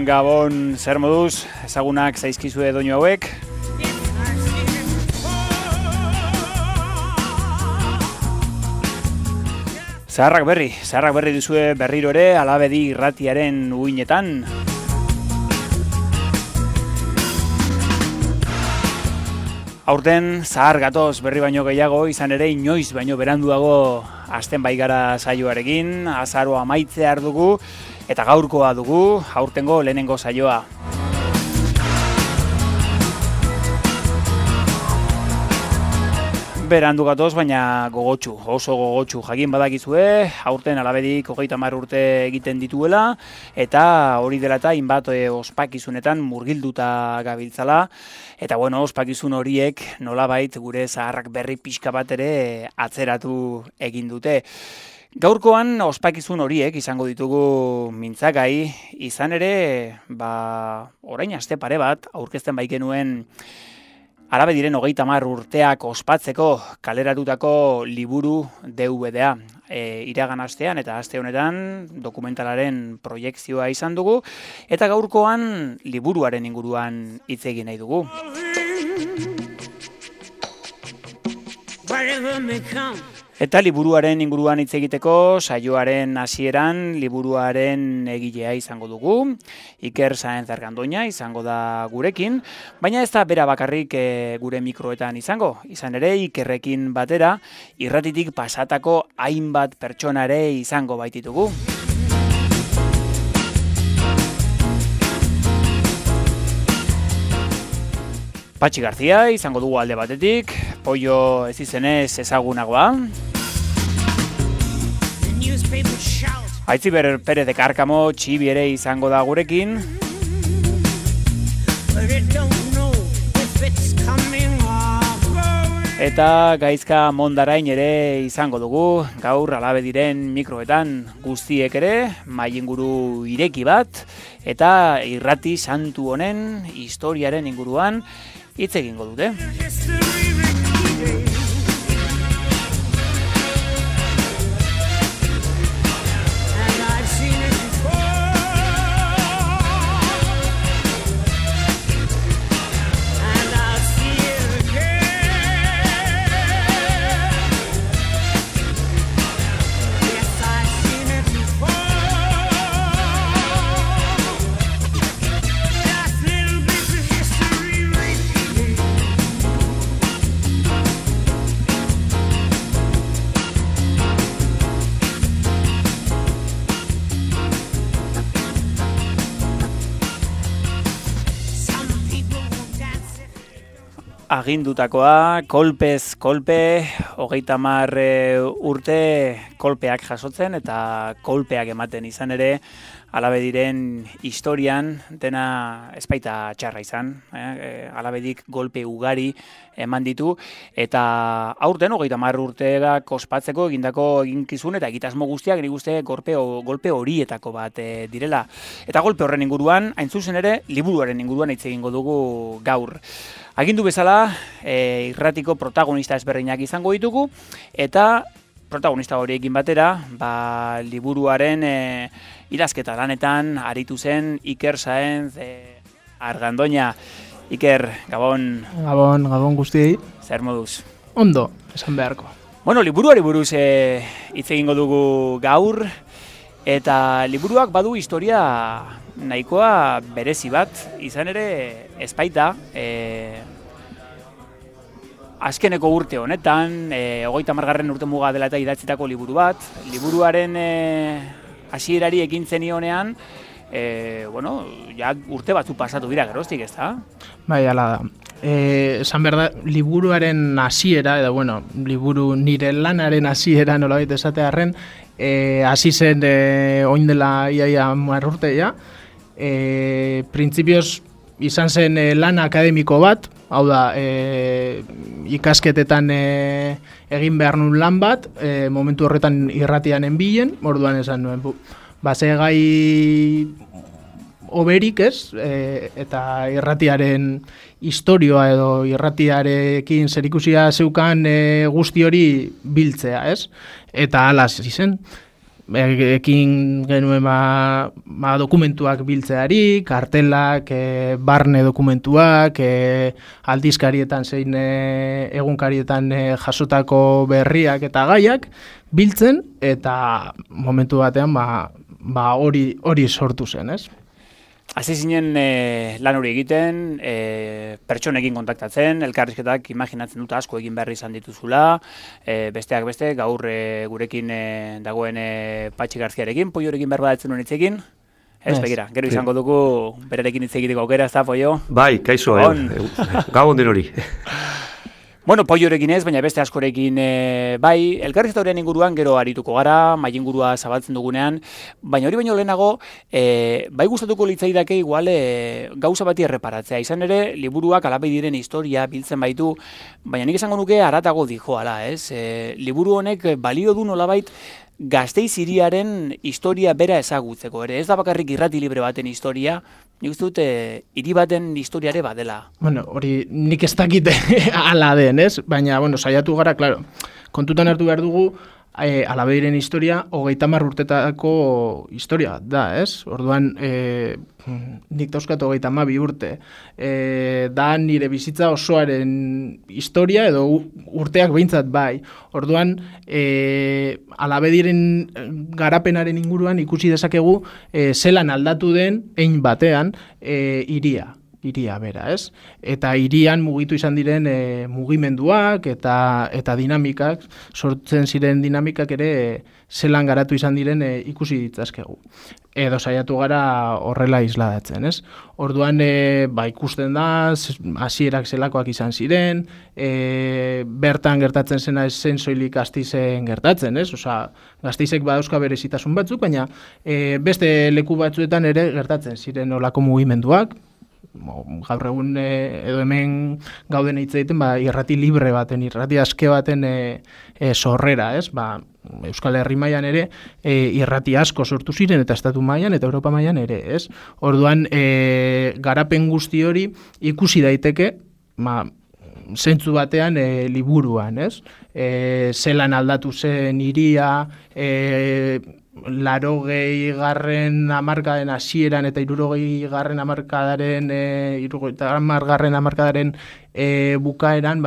Gabon, zer moduz, ezagunak zaizkizue doinu hauek. Zaharrak berri duzue berriro ere Alabedi irratiaren uinetan. Aurten zahar gatoz berri baino gehiago, izan ere inoiz baino beranduago hasten baigara saioarekin, azaroa amaitzear dugu, eta gaurkoa dugu, aurtengo lehenengo saioa. Berandu gatoz, baina gogotsu, oso gogotsu. Jakin badakizue, aurten Alabedik 30 urte egiten dituela, eta hori dela eta hainbat ospakizunetan murgilduta gabiltzala, eta bueno, ospakizun horiek nolabait gure zaharrak berri pixka bat ere atzeratu egin dute. Gaurkoan ospakizun horiek izango ditugu mintzagai, izan ere, orain aste pare bat, aurkezten baikenuen Alabediren 30 urteak ospatzeko kaleratutako liburu DVD-a. Iragan astean eta aste honetan dokumentalaren proiekzioa izan dugu, eta gaurkoan liburuaren inguruan hitz egin nahi dugu. Eta liburuaren inguruan hitz egiteko saioaren hasieran liburuaren egilea izango dugu. Iker Sáenz Argandoña izango da gurekin, baina ez da bera bakarrik gure mikroetan izango. Izan ere Ikerrekin batera irratitik pasatako hainbat pertsona ere izango baititugu. Patxi Garzia izango dugu alde batetik, Pollo ez izenez ezagunagoa. Aitziber Perez de Karkamo Txibi ere izango da gurekin. Eta Gaizka Mondarain ere izango dugu, gaur Alabediren mikroetan guztiek ere, mailinguru ireki bat, eta irrati santu honen historiaren inguruan hitz egingo dute. agindutakoa, kolpez kolpe, 30 urte kolpeak jasotzen eta kolpeak ematen izan ere, Alabediren historian dena ezpaita txarra izan. Alabedik golpe ugari eman ditu eta aurten 30 urteak ospatzeko egindako eginkizun eta egitasmo guztiak nik uste golpe horietako bat direla. Eta golpe horren inguruan, hain zuzen ere, liburuaren inguruan hitz egingo dugu gaur. Agindu bezala, irratiko protagonista ezberdinak izango ditugu eta protagonista horiekin batera, liburuaren idazketa lanetan aritu zen Iker Saenz Argandoña. Iker, Gabon. Gabon guztiei. Zer moduz? Ondo, esan beharko. Bueno, liburuari buruz hitz egingo dugu gaur, eta liburuak badu historia nahikoa berezi bat, izan ere ezpaita, azkeneko urte honetan, 30. urte muga dela eta idatzitako liburu bat. Liburuaren hasierari ekin zenionean, ja urte batzu pasatu dira geroztik, ez da? Bai, ala da. Esan behar da, liburuaren hasiera, edo liburu nire lanaren hasiera nolabait esatearren, hasi zen oin dela iaia 10 urte, ja. Printzipioz izan zen lan akademiko bat, hau da, ikasketetan egin behar nun lan bat, momentu horretan irratian enbilen, orduan esan nuen, ze gai oberik ez, eta irratiaren historioa edo irratiarekin zerikusia zeukan guzti hori biltzea, ez? Eta hala hasi zen. Ekin genuen dokumentuak biltzeari, kartelak, barne dokumentuak, aldizkarietan zein egunkarietan jasotako berriak eta gaiak biltzen, eta momentu batean hori sortu zen, ez? Hasi zinen lan hori egiten, pertsonekin kontaktatzen, elkarrizketak imaginatzen dut asko egin behar izan dituzula, besteak beste, gaur gurekin dagoen Patxi Garziarekin, Poiorekin behar badatzen nuen hitzekin. Ez, begira, gero izango dugu berarekin hitz egiteko aukera, ez da, Poio? Bai, kaixo, gabon den hori. Bueno, Poiorekin ez, baina beste askorekin bai, elkarrizketa horien inguruan gero arituko gara, mai ingurua zabaltzen dugunean, baina hori baino lehenago, bai gustatuko litzaidake igual gauza bati erreparatzea. Izan ere, liburuak Alabediren historia biltzen baitu, baina nik esango nuke haratago dijoala, ez? Liburu honek balio du nolabait Gasteiz hiriaren historia bera ezagutzeko, ere. Ez da bakarrik irrati libre baten historia, nik uste dut hiri baten historiare badela. Hori nik ez dakite ala den, ez? Baina, saiatu gara, klaro, kontutan hartu behar dugu, Alabediren historia 30 urtetako historia da, ez? Orduan, nik dauzkat 32 urte. Da nire bizitza osoaren historia edo urteak behintzat bai. Orduan, Alabediren garapenaren inguruan ikusi dezakegu zelan aldatu den hein batean hiria bera, ez? Eta hirian mugitu izan diren mugimenduak eta dinamikak, sortzen ziren dinamikak ere zelan garatu izan diren ikusi ditzazkegu. Edo saiatu gara horrela isladatzen, ez? Orduan, ikusten da, hasierak zelakoak izan ziren, bertan gertatzen zena ez zen soilik Gasteizen gertatzen, ez? Gasteizek badauzka berezitasun batzuk, baina beste leku batzuetan ere gertatzen ziren olako mugimenduak, gaur egun edo hemen gauden hitz egiten irrati libre baten, irrati aske baten sorrera, ez? Euskal Herri mailan ere irrati asko sortu ziren eta estatu mailan eta Europa mailan ere, ez? Orduan garapen guzti hori ikusi daiteke, zentzu batean liburuan, ez? Zelan aldatu zen hiria, 80. hamarkadaren hasieran eta 60. hamarkadaren bukaeran,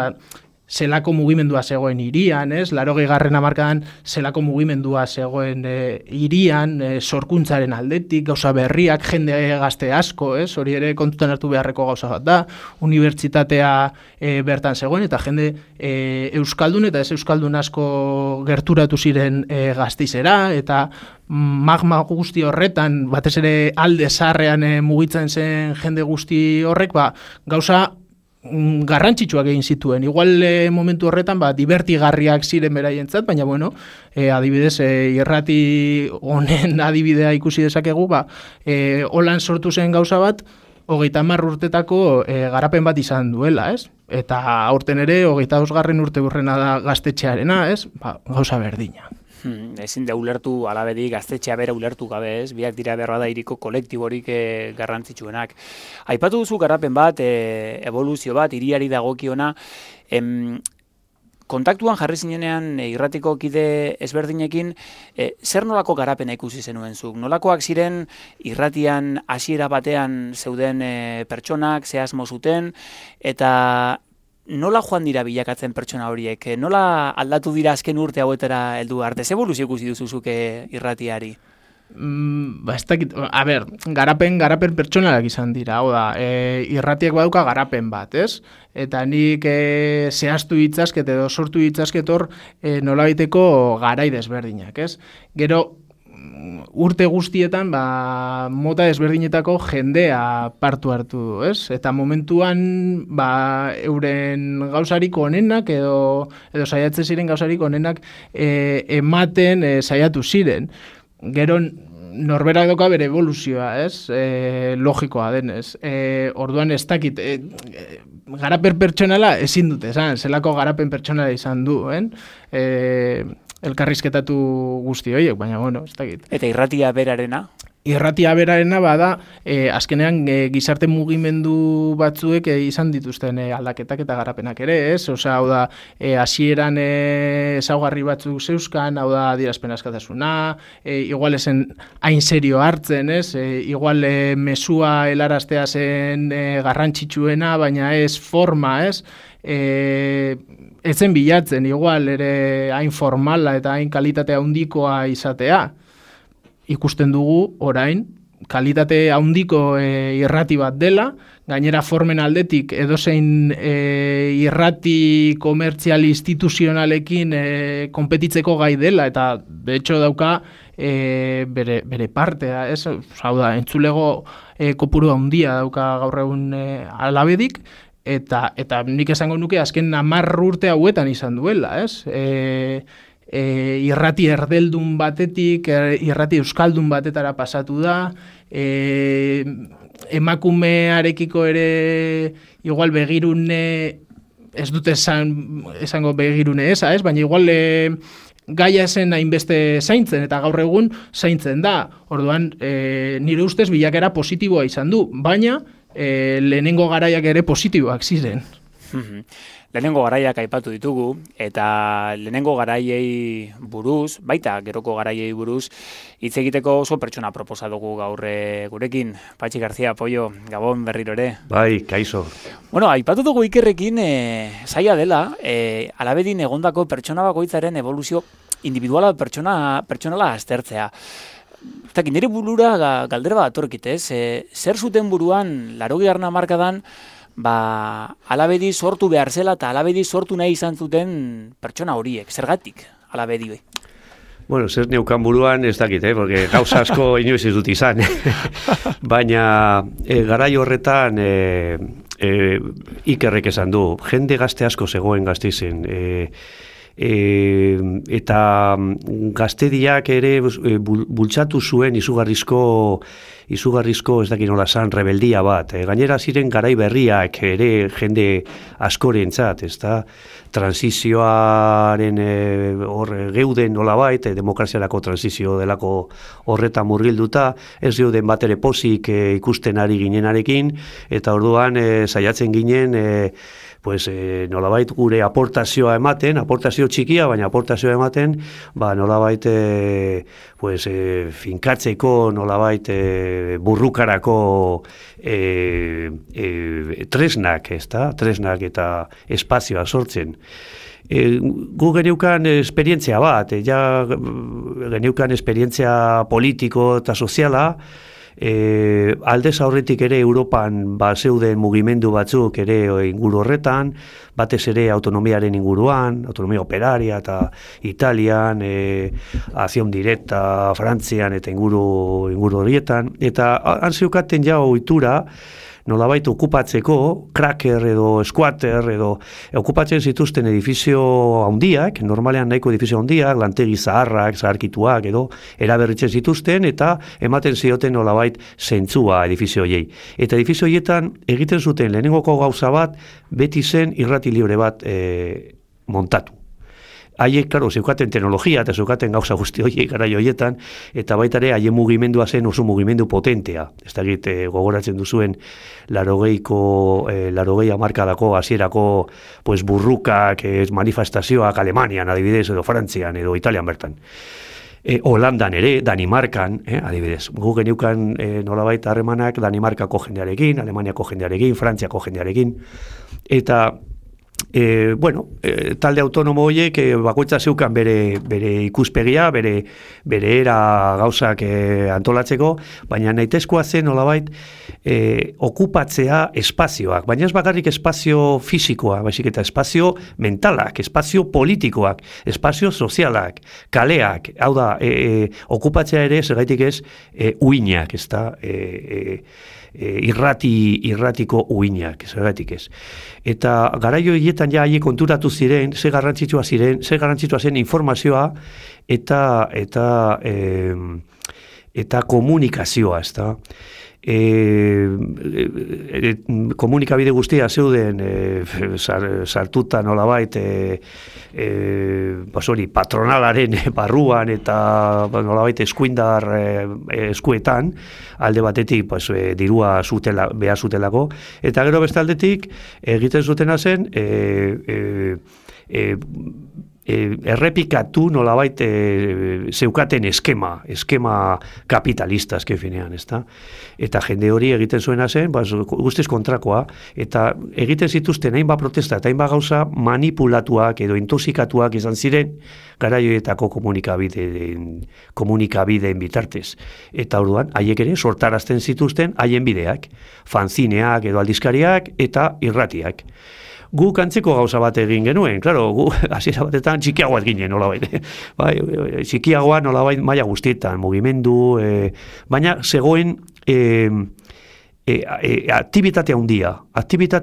zelako mugimendua zegoen hirian, ez? 80. hamarkadan zelako mugimendua zegoen hirian, sorkuntzaren aldetik, gauza berriak, jende gazte asko, ez? Hori ere kontutan hartu beharreko gauza bat da, unibertsitatea bertan zegoen, eta jende euskaldun eta ez euskaldun asko gerturatu ziren Gasteizera, eta magma guzti horretan, batez ere alde zaharrean mugitzen zen jende guzti horrek, gauza garrantzitsuak egin zituen. Igual momentu horretan divertigarriak ziren beraientzat, baina bueno, adibidez irrati honen adibidea ikusi dezakegu, holan sortu zen gauza bat 30 urtetako garapen bat izan duela, ez? Eta aurten ere 25. urte burrena da gaztetxearena, ez? Gauza berdina. Ezin da ulertu alabedi gaztetxea bera ulertu gabe, ez? Biak dira berra da iriko kolektiborik garrantzitsuenak. Aipatu duzu garapen bat, evoluzio bat, hiriari dagokiona, kontaktuan jarri zinenean irratiko kide ezberdinekin, zer nolako garapena ikusi zenuen zuk? Nolakoak ziren irratian hasiera batean zeuden pertsonak, ze asmo zuten, eta nola joan dira bilakatzen pertsona horiek? Nola aldatu dira azken urte hauetara heldu arte? Ze eboluzio ikusi duzuzuke irratiari? Ez dakit, garapen pertsonalak izan dira, hau da, irratiak badauka garapen bat, ez? Eta nik zehaztu ditzazket edo sortu ditzazket hor nolabaiteko garai desberdinak, ez? Gero, urte guztietan mota desberdinetako jendea partu hartu du, ez? Eta momentuan euren gauzarik onenak edo saiatzen ziren gauzarik onenak ematen saiatu ziren. Gero norberak doka bere evoluzioa, ez? Logikoa denez. Orduan ez dakit, garapen pertsonala ezin dute, zelako garapen pertsonala izan du, elkarrizketatu guzti horiek, baina bueno, ez dakit. Eta irratia berarena? Irratia berarena azkenean gizarte mugimendu batzuek izan dituzten aldaketak eta garapenak ere, ez? Osea, hau da, hasieran ezaugarri batzuk zeuzkan, hau da, adierazpen askatasuna, igual esen hain serio hartzen, ez? Igual mesua helaraztea zen garrantzitsuena, baina ez forma, ez? Etzen bilatzen, igual, ere hain formala eta hain kalitatea handikoa izatea. Ikusten dugu, orain, kalitate handiko irrati bat dela, gainera formen aldetik edozein irrati komertzial instituzionalekin konpetitzeko gai dela, eta de hecho dauka bere partea, ez? Hau da, entzulego kopuru handia dauka gaur egun alabedik, eta nik esango nuke azken 10 urte hauetan izan duela, ez? Irrati erdeldun batetik, irrati euskaldun batetara pasatu da, emakumearekiko ere igual begirune, ez dute esango begirune eza, ez? Baina igual gaia zen hainbeste zaintzen, eta gaur egun zaintzen da. Orduan, nire ustez bilakera positiboa izan du, baina lehenengo garaiak ere positiboak ziren. Lehenengo garaiak aipatu ditugu, eta lehenengo garaiei buruz, baita geroko garaiei buruz, hitz egiteko oso pertsona proposa dugu gaur gurekin. Patxi Garzia, Pollo, Gabon berriro ere. Bai, kaixo. Bueno, aipatu dugu Ikerrekin zaila dela, alabedin egondako pertsona bakoitzaren evoluzio individuala pertsonala aztertzea. Eta nire burura galdera bat atorkit, ez? Zer zuten buruan, 80. hamarkadan, alabedi sortu behar zela eta alabedi sortu nahi izan zuten pertsona horiek, zergatik alabedi bai? Bueno, zer neukan buruan ez dakit, porque gauza asko inoiz ez dut izan. Baina garai horretan Ikerrek esan du, jende gazte asko zegoen Gasteizen, eta gaztediak ere bultzatu zuen izugarrizko ez dakit nola zan rebeldia bat. Gainera ziren garai berriak ere jende askorentzat, ezta? Transizioaren hor geuden nolabait, demokraziarako transizio delako horretan murgilduta, ez geuden bat ere pozik ikusten ari ginenarekin, eta orduan saiatzen ginen nolabait gure aportazioa ematen, aportazio txikia, baina aportazioa ematen, nolabait finkatzeko, nolabait burrukarako tresnak, ezta? Tresnak eta espazioa sortzen. Gu geneukan esperientzia bat, geneukan esperientzia politiko eta soziala, Aldez aurretik ere Europan zeuden mugimendu batzuk ere inguru horretan, batez ere autonomiaren inguruan, autonomia operaria eta Italian, acción directa Frantzian eta inguru horietan, eta han zeukaten ja ohitura nolabait okupatzeko, cracker edo squatter edo okupatzen zituzten edifizio handiak, normalean nahiko edifizio handiak, lantegi zaharrak, zaharkituak edo eraberritzen zituzten eta ematen zioten nolabait zentzua edifizio hoiei. Eta edifizio hoietan egiten zuten lehenengoko gauza bat beti zen irrati libre bat montatu. Haiek, klaro, zeukaten teknologia eta zeukaten gauza guzti horiek garai horietan, eta baita ere haien mugimendua zen oso mugimendu potentea. Ez da gogoratzen duzuen larogei hamarkadako hasierako pues, burrukak, manifestazioak Alemanian, adibidez, edo Frantzian, edo Italian bertan. Holandan ere, Danimarkan, adibidez. Gu geniukan nolabait harremanak Danimarkako jendearekin, Alemaniako jendearekin, Frantziako jendearekin, eta talde autonomo horiek bakoitza zeukan bere ikuspegia, bere era gauzak antolatzeko, baina nahitezkoa zen nolabait okupatzea espazioak, baina ez bakarrik espazio fisikoa, baizik eta espazio mentalak, espazio politikoak, espazio sozialak, kaleak, hau da, okupatzea ere zergaitik ez uinak, ez da, irratiko uinak, zergatik ez. Eta garaio hietan ja haiek konturatu ziren, ze garrantzitsua zen informazioa eta komunikazioa, ez da. Komunikabide guztia zeuden sartuta nolabait patronalaren barruan eta nolabait eskuindar eskuetan alde batetik dirua behar zutelako eta gero beste aldetik egiten zutena zen errepikatu nolabait zeukaten eskema kapitalista azken finean, ezta? Eta jende hori egiten zuena zen, guztiz kontrakoa, eta egiten zituzten hainbat protesta eta hainbat gauza manipulatuak edo intoxikatuak izan ziren garaioetako komunikabideen bitartez. Eta orduan, haiek ere sortarazten zituzten haien bideak, fanzineak edo aldizkariak eta irratiak. Guk antzeko gauza bat egin genuen, klaro, gu hasiera batetan txikiagoa ginen nolabait. Bai, txikiagoa nolabait maila guztietan, mugimendu, baina zegoen aktibitate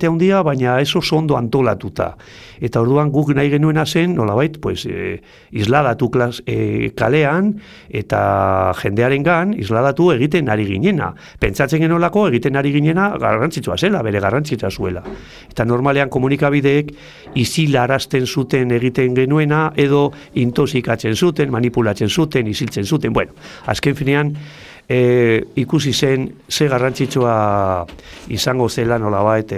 handia, baina ez oso ondo antolatuta. Eta orduan guk nahi genuena zen, nolabait, isladatu kalean eta jendearengan isladatu egiten ari ginena. Pentsatzen genolako egiten ari ginena garrantzitsua zela, bere garrantzitsua zuela. Eta normalean komunikabideek isilarazten zuten egiten genuena edo intoxikatzen zuten, manipulatzen zuten, isiltzen zuten. Bueno, azken finean, ikusi zen ze garrantzitsua izango zela nolabait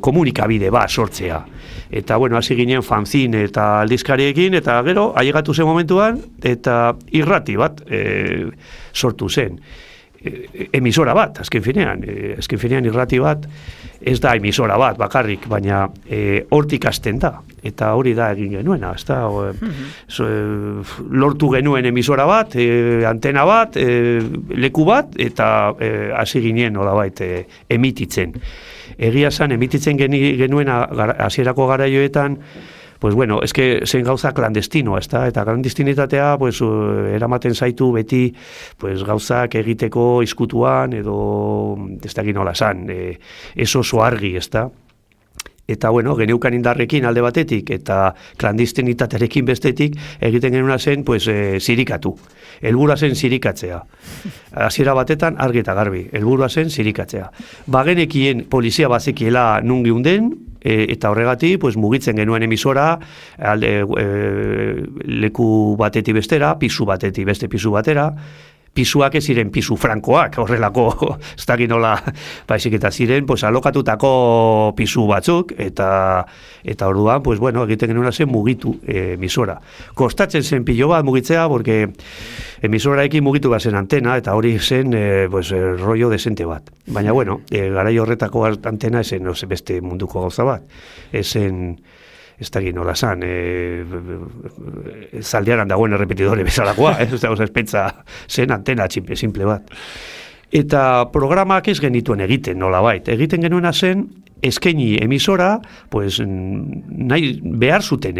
komunikabide bat sortzea. Eta hasi ginen fanzine eta aldizkariekin eta gero ailegatu zen momentuan eta irrati bat sortu zen. Emisora bat, azken finean irrati bat ez da emisora bat bakarrik, baina hortik hasten da, eta hori da egin genuena, ez da, lortu genuen emisora bat, antena bat, leku bat, eta hasi ginen nolabait emititzen. Egia zen, emititzen genuen hasierako garaioetan, zen gauza klandestinoa, eta klandestinitatea eramaten zaitu beti gauzak egiteko izkutuan edo ez da ginola zan, ez oso argi, ez da. Eta geneukan indarrekin alde batetik eta klandestinitatearekin bestetik egiten genuna zen zirikatu. Helburua zen zirikatzea. Hasiera batetan argi eta garbi, helburua zen zirikatzea. Bagenekien polizia bazekiela nun geunden, eta horregatik mugitzen genuen emisora leku batetik bestera, pisu batetik beste pisu batera, pisuak ez ziren pisu frankoak, horrelako, ez da ginola, baizik eta ziren, alokatutako pisu batzuk, eta orduan, egiten genuen zen mugitu emisora. Kostatzen zen pilo bat mugitzea, porque emisorarekin mugitu bat zen antena, eta hori zen, rollo desente bat. Baina, garai horretako antena esen beste munduko gauza bat. Esen ez da nola zan, Zaldiaran dagoen errepetidore bezalakoa, ez da, espentza zen antena simple bat. Eta programak ez genituen egiten, nolabait. Egiten genuena zen, eskaini emisora, pues, nahi behar zuten,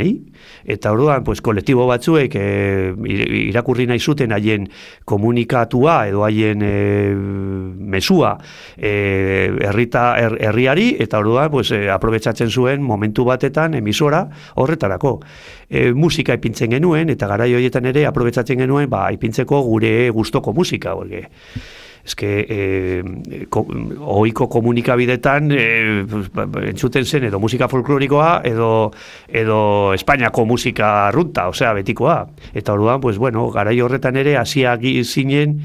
Eta orduan, pues, kolektibo batzuek irakurri nahi zuten haien komunikatua edo haien mesua herriari, eta orduan, pues, aprobetxatzen zuen momentu batetan emisora horretarako. Musika ipintzen genuen, eta garai horietan ere aprobetxatzen genuen, ipintzeko gure gustoko musika, horge. Ohiko komunikabidetan entzuten zen edo musika folklorikoa edo Espainiako musika arrunta, osea, betikoa. Eta orduan, pues, bueno, garai horretan ere hasiak ziren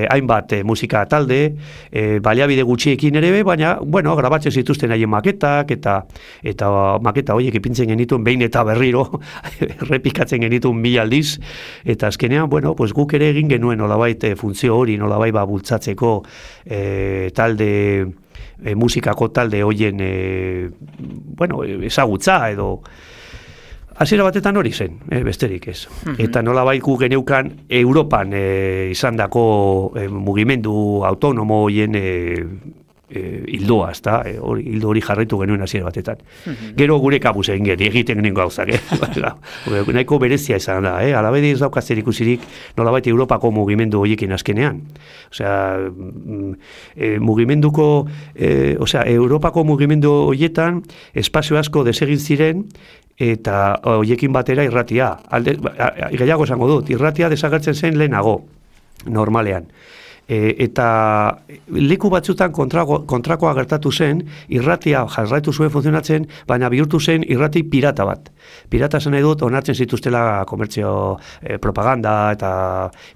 hainbat musika talde, baliabide gutxiekin ere, baina, bueno, grabatzen zituzten haien maketak, eta maketa horiek ipintzen genituen behin eta berriro, errepikatzen genituen 1000 aldiz, eta azkenean, bueno, pues, guk ere egin genuen nolabait funtzio hori, nolabait bultzatzeko talde, musikako talde hoien, bueno, ezagutza edo hasiera batetan hori zen, besterik ez. Eta nolabait gu geneukan Europan izandako mugimendu autonomo hoien hildoa, ezta? Hildo hori jarraitu genuen hasiera batetan. Gero gure kabuz egiten genuen gauzak, nahiko berezia izan da, alabedi ez daukaz zerikusirik nolabait Europako mugimendu horiekin azkenean. Osea, Europako mugimendu horietan espazio asko desegin ziren, eta horiekin batera irratia. Gehiago esango dut, irratia desagertzen zen lehenago, normalean. Eta leku batzutan kontrakoa gertatu zen, irratia jarraitu zuen funtzionatzen, baina bihurtu zen irrati pirata bat. Pirata zen nahi dut, onartzen zituztela komertzio propaganda eta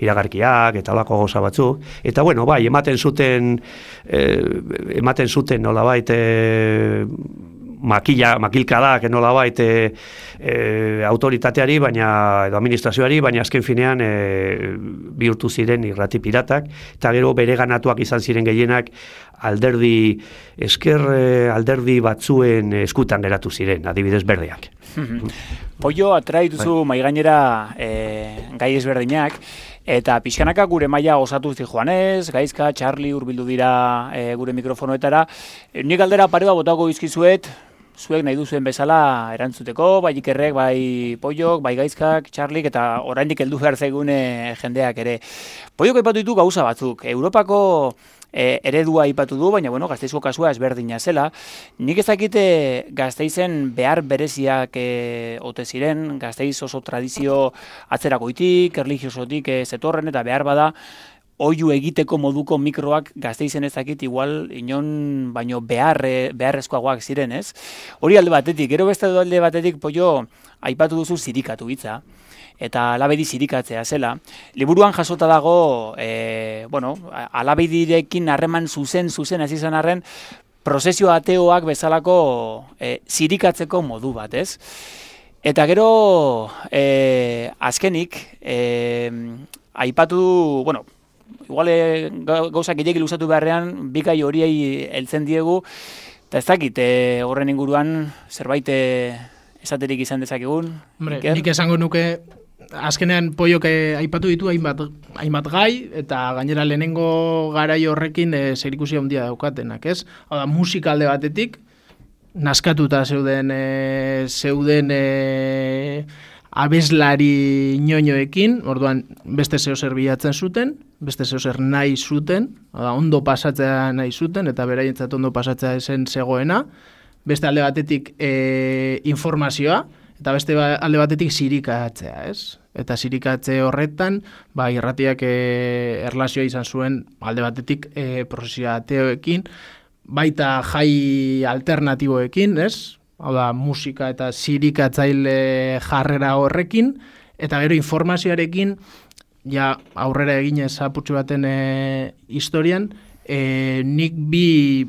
iragarkiak eta olako gauza batzuk. Eta bueno, bai, ematen zuten nolabait makilkadak nolabait autoritateari, edo administrazioari, baina azken finean bihurtu ziren irrati piratak, eta gero bere ganatuak izan ziren gehienak alderdi batzuen eskutan geratu ziren, adibidez berdeak. Pollo, atrai duzu maigainera gai ezberdinak, eta pixkanaka gure maila osatu zijoanez, Gaizka, Charlie hurbildu dira gure mikrofonoetara. Nik galdera pare bat botako izkizuet, zuek nahi duzuen bezala erantzuteko, bai Ikerrek, bai Pollok, bai Gaizkak, Charlik, eta oraindik heldu behar zaigune jendeak ere. Pollok aipatu ditu gauza batzuk. Europako eredua aipatu du, baina bueno, Gasteizko kasua ezberdina zela. Nik ez dakite Gasteizen behar bereziak ote ziren, Gasteiz oso tradizio atzerakoitik, erlijiosotik zetorren, eta behar bada oihu egiteko moduko mikroak Gasteizen ez dakit igual inon baino beharrezkoagoak ziren, ez? Hori alde batetik, gero beste alde batetik, Pollo, aipatu duzu zirikatu hitza, eta Alabedi zirikatzea zela. Liburuan jasota dago, Alabedirekin harreman zuzen hasi izan arren, prozesio ateoak bezalako zirikatzeko modu bat, ez? Eta gero, azkenik, aipatu, igual gauzak gehiagil usatu beharrean, bikai horiei heltzen diegu, eta ez dakit horren inguruan zerbait esaterik izan dezakegun. Hombre, nik esango nuke, azkenean Pollok aipatu ditu hainbat gai, eta gainera lehenengo garai horrekin zerikusia handia daukatenak, ez? Hau da, musika alde batetik, naskatuta zeuden abeslari ñoñoekin, orduan beste zeozer bilatzen zuten, beste zeozer nahi zuten, ondo pasatzea nahi zuten, eta beraientzat ondo pasatzea esen zegoena, beste alde batetik informazioa, eta beste alde batetik zirikatzea, ez? Eta zirikatze horretan, irratiak erlazioa izan zuen alde batetik prozesio ateoekin, baita jai alternatiboekin, ez? Hau da, musika eta zirikatzaile jarrera horrekin, eta gero informazioarekin, ja aurrera eginez apurtxo baten historian, nik bi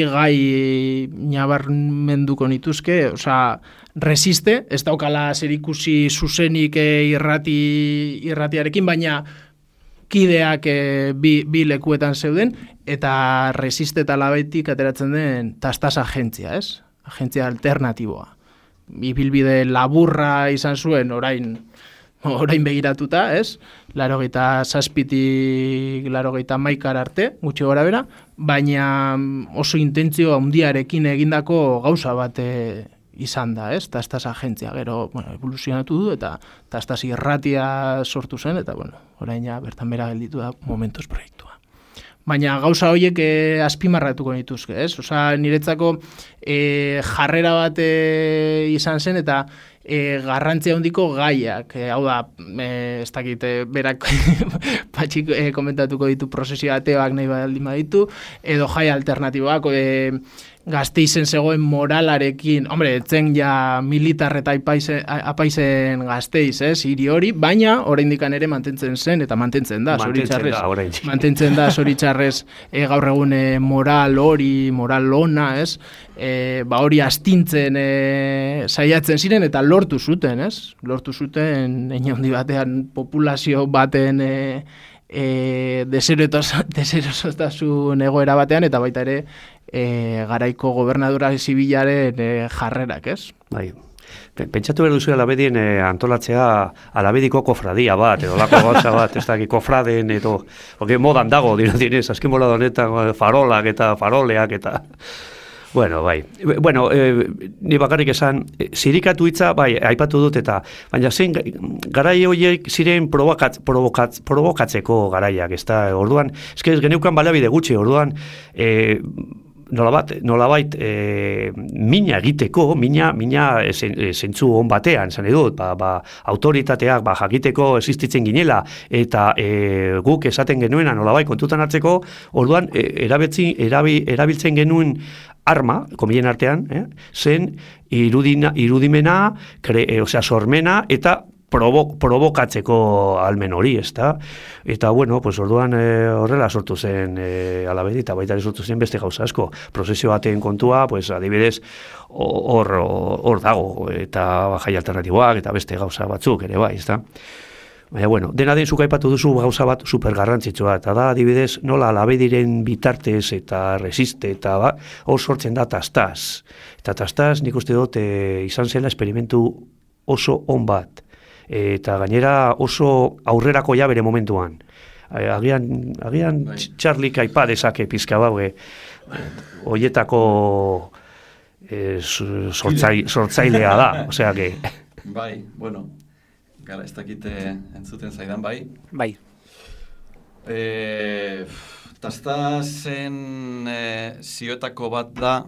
gai nabarmenduko nituzke, osea, resiste, ez daukala zerikusi zuzenik irratiarekin, baina kideak bi lekuetan zeuden, eta Resiste eta Alabetik ateratzen den Tastas agentzia, ez? Agentzia alternatiboa. Ibilbide laburra izan zuen orain begiratuta, ez? 87tik 90 arte, gutxi gora bera, baina oso intentzio handiarekin egindako gauza bat izan da, ez? Tastas agentzia, gero, evoluzionatu du, eta Tastas irratia sortu zen, eta, orain ja, bertan bera gelditu da Momentos proiektua. Baina gauza horiek azpimarratuko nituzke, ez? Osa, niretzako jarrera bat izan zen, eta garrantzia handiko gaiak, hau da, ez dakit, berak patxik komentatuko ditu prozesio ateoak nahi baldin baditu, edo jai alternatiboak, Gasteizen zegoen moralarekin, etzen ja militar eta apaizen Gasteiz, hiri hori, baina oraindikan ere mantentzen zen, eta mantentzen da, zoritxarrez. Mantentzen da, zoritxarrez, gaur egun moral lona, ez? Hori astintzen saiatzen ziren, eta lortu zuten, ez? Lortu zuten, handi batean, populazio baten deserosotasun egoera batean, eta baita ere garaiko gobernadura zibilaren jarrerak, ez? Bai. Pentsatu behar duzu Alabedien antolatzea Alabediko kofradia bat, edo lako gauza bat, ez dakit kofraden, edo modan dago, dinez, azken mola honetan farolak eta faroleak eta... bai. Ni bakarrik esan, zirikatu hitza, bai, aipatu dut eta, baina zen, garai horiek ziren provokatzeko garaiak, ez da, orduan, ez geneukan baliabide gutxi, orduan, nolabait mina egiteko, mina zentzu on batean, zan edut, autoritateak jakiteko existitzen ginela, eta guk esaten genuena nolabait kontutan hartzeko, orduan erabiltzen genuen arma, komillen artean, zen irudimena, sormena, eta provokatzeko almen hori, ezta? Eta, orduan horrela sortu zen Alabedi, eta baita sortu zen beste gauza asko. Prozesio baten kontua, adibidez, hor dago, eta jai alternatiboak, eta beste gauza batzuk ere bai, ezta? Baina, dena den zuk aipatu duzu gauza bat supergarrantzitsua, eta da, adibidez, nola Alabediren bitartez eta Resiste, eta hor sortzen da Tastas. Eta Tastas, nik uste dut, izan zela esperimentu oso on bat. Eta gainera oso aurrerako bere momentuan. Agian Charlik aipa dezake pizka baue, hoietako sortzailea da, osea que... Bai, gara ez dakite entzuten zaidan, bai? Bai. Tastasen zioetako bat da,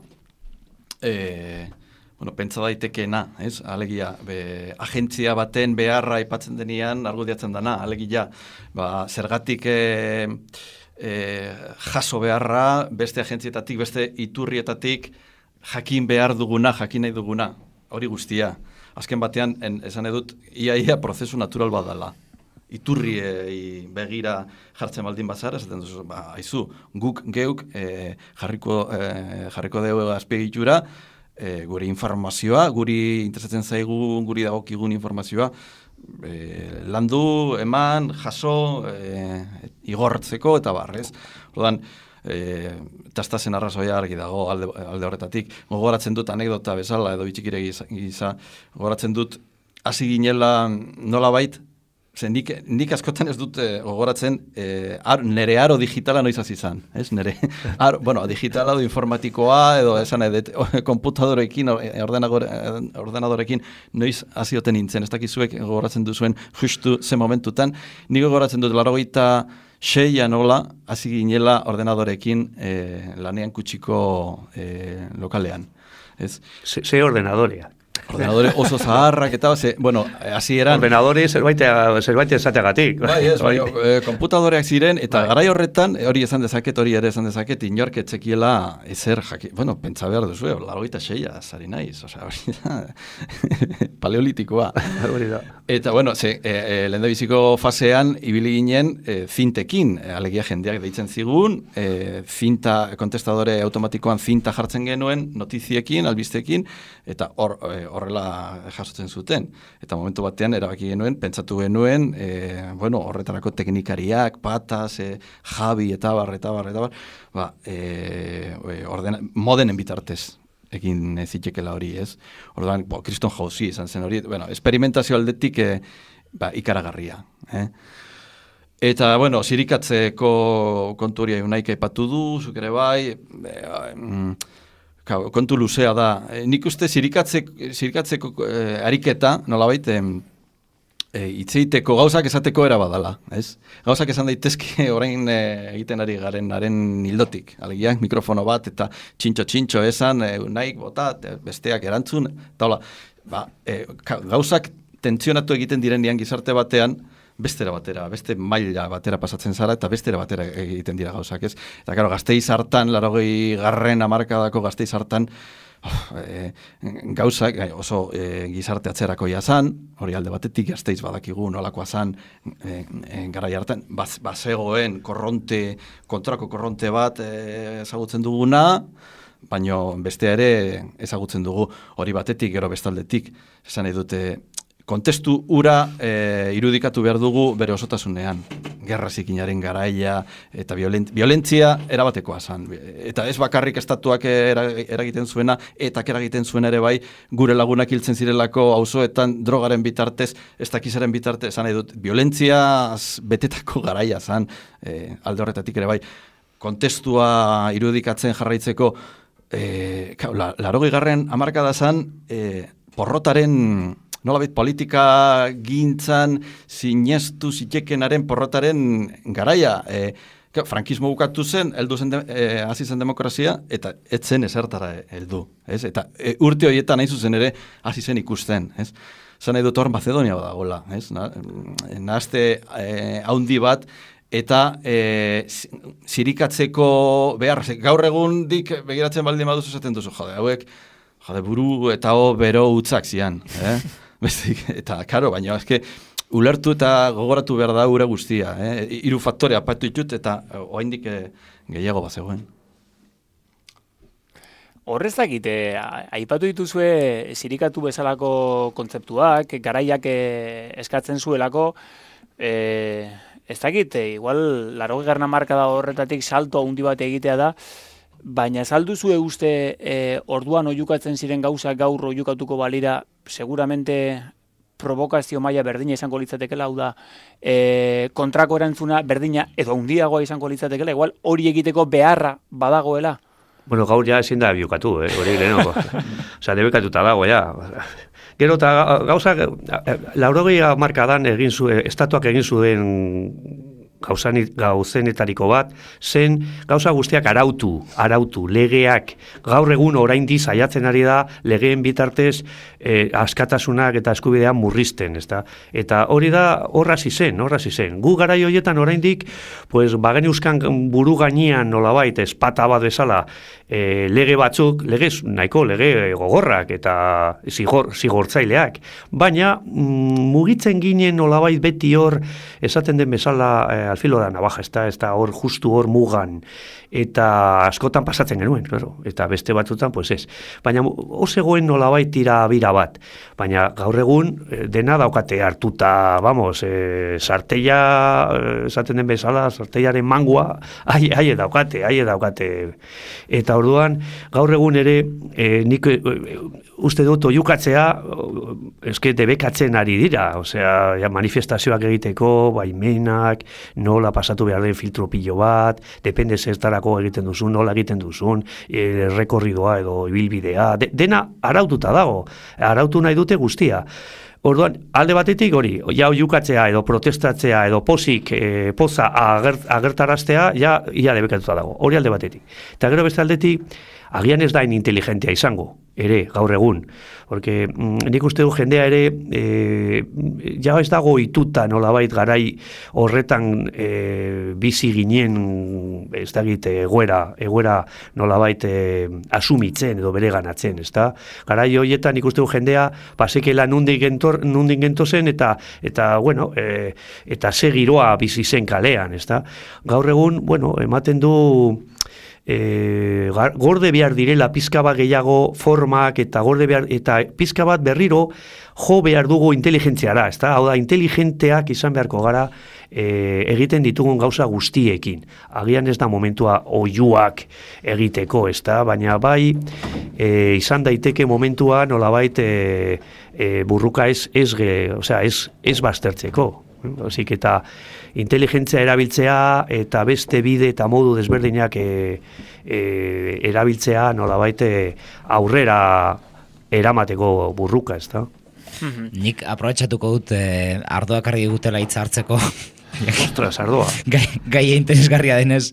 pentsa daitekeena, ez? Alegia, agentzia baten beharra aipatzen denean argudiatzen dana, alegia, zergatik jaso beharra, beste agentzietatik, beste iturrietatik jakin behar duguna, jakin nahi duguna, hori guztia. Azken batean, esan edut, ia prozesu natural bat dela. Iturri begira jartzen baldin bazara, esaten duzu, haizu, guk geuk jarriko dugu azpiegitura, gure informazioa, guri interesatzen zaigu, guri dagokigun informazioa, landu, eman, jaso, igortzeko eta barrez. Orduan, Tastasen arrazoia argi dago alde horretatik. Gogoratzen dut anekdota bezala, edo bitxikire giza, gogoratzen dut hasi ginela nolabait, nik askotan ez dut gogoratzen nere aro digitala noiz hasi izan, ez? Nere digitala edo informatikoa edo esan edet konputadorekin, ordenadorekin noiz hazioten nintzen, ez dakizuek gogoratzen duzuen justu ze momentutan. Nik gogoratzen dut 86 nola hasi ginela ordenadorekin lanean kutsiko lokalean, ez? Ze ordenadorea? Ordenadore oso zaharrak eta, hasi eran... Ordenadore zerbait esateagatik. Konputadoreak ziren, eta garai horretan, hori esan dezaket, inork etzekiela ezer pentsa behar duzu, 86 zari naiz, hori da, paleolitikoa. Eta, lehendabiziko fasean, ibili ginen zintekin, alegia jendeak deitzen zigun, kontestadore automatikoan zinta jartzen genuen, notiziekin, albistekin, eta horrela jasotzen zuten. Eta momentu batean erabaki genuen, pentsatu genuen, horretarako teknikariak, Patas, Javi, eta bar, modenen bitartez egin zitekela hori, ez? Orduan, Kriston Jauzi izan zen hori, esperimentazio aldetik ikaragarria. Eta, zirikatzeko kontu hori naik aipatu du, zuk ere bai, kontu luzea da. Nik uste zirikatzeko ariketa, nolabait, hitzeiteko gauzak esateko era badala, ez? Gauzak esan daitezke orain egiten ari garenaren hildotik. Alegia, mikrofono bat eta txintxo esan, naik botat, besteak erantzun, eta hola, gauzak tentzionatu egiten direnean gizarte batean, bestera batera, beste maila batera pasatzen zara, eta bestera batera egiten dira gauzak, ez? Eta, karo, Gasteiz hartan, 80. hamarkadako Gasteiz hartan, gauzak oso gizarte atzerakoia zan, hori alde batetik Gasteiz badakigu nolakoa zan garai hartan, bazegoen kontrako korronte bat ezagutzen duguna, baina bestea ere ezagutzen dugu hori batetik, gero bestaldetik, esan nahi dute, kontestu ura irudikatu behar dugu bere osotasunean. Gerra zikinaren garaia eta violentzia erabatekoa zan. Eta ez bakarrik estatuak eragiten zuena, eta eragiten zuena ere bai, gure lagunak hiltzen zirelako auzoetan drogaren bitartez, ez dakizaren bitartez, zan edut, violentzia betetako garaia zan, alde horretatik ere bai, kontestua irudikatzen jarraitzeko, 80. hamarkada zan, porrotaren nolabait politika gintzan sinestu zitekenaren porrotaren garaia. Frankismo bukatu zen, hasi zen demokrazia, eta etzen ezertara heldu. Eta urte horietan nahi zuzen ere hasi zen ikusten. Zan nahi dut hor Macedonia badagola. Nahazte haundi bat, eta zirikatzeko behar, gaur egundik begiratzen baldin baduzu esaten duzu, hauek buru eta bero utzak zian. Eta, karo, baina, ulertu eta gogoratu behar da ure guztia. Hiru faktore apatu ditut eta oraindik gehiago bazegoen. Horrezakit, aipatu dituzue zirikatu bezalako kontzeptuak, garaiak eskatzen zuelako, ez dakit, igual 80. hamarkada horretatik salto handi bat egitea da, baina saldu zue uste orduan oihukatzen ziren gauzak gaur oihukatuko balira, seguramente provokazio maila berdina izango litzatekela, hau da, kontrako erantzuna berdina edo handiagoa izango litzatekela, igual hori egiteko beharra badagoela. Bueno, gaur ja ezin da biokatu, hori lehenoko. Osa, debekatuta dago, ja. Gero eta gauzak, 80. hamarkadan estatuak egin zuen gauzenetariko bat, zen gauza guztiak arautu, legeak, gaur egun oraindi saiatzen ari da, legeen bitartez askatasunak eta eskubidean murrizten, ezta? Eta hori da horrazi zen. Gu garai horietan oraindik, pues, bageneuzkan buru gainean nolabait, espata bat bezala, lege batzuk, nahiko lege gogorrak eta zigortzaileak, baina mugitzen ginen nolabait beti hor, esaten den bezala al filo da navaja, ez da hor justu hor mugan, eta askotan pasatzen genuen, claro, eta beste batzutan, pues ez. Baina osegoen nolabait bira bat, baina gaur egun dena daukate hartuta, vamos, sarteia, esaten den bezala, sarteiaren mangua, haie daukate. Eta orduan, gaur egun ere, nik uste dut oihukatzea, eske debekatzen ari dira, osea, manifestazioak egiteko, baimenak, nola pasatu behar den filtro pilo bat, depende zertarako egiten duzun, nola egiten duzun, rekorridoa edo ibilbidea, dena araututa dago, arautu nahi dute guztia. Orduan, alde batetik hori, ja oihukatzea edo protestatzea edo poza agertaraztea, ja debekatuta dago, hori alde batetik. Eta gero beste aldetik, agian ez da inteligentea izango, ere, gaur egun. Porque nik uste du jendea ere, ja ez dago ituta nolabait garai horretan bizi ginen, ez dakit, egoera nolabait asumitzen edo bere ganatzen, ez da? Garai horietan nik uste du jendea pasekela nundik gentozen eta bueno, eta ze giroa bizi zen kalean, ez da? Gaur egun, bueno, ematen du gorde behar direla pizka bat gehiago formak eta gorde behar, eta pizka bat berriro jo behar dugu inteligentziara, ezta? Hau da, inteligenteak izan beharko gara egiten ditugun gauza guztiekin. Agian ez da momentua oiuak egiteko, ezta? Baina bai, izan daiteke momentua nolabait burruka ez baztertzeko. Osik eta inteligentzia erabiltzea eta beste bide eta modu desberdinak erabiltzea nolabait aurrera eramateko burruka, ezta? Nik aprobetxatuko dut ardoak argi digutela hitza hartzeko. Ostras, ardoa. Gai interesgarria denez.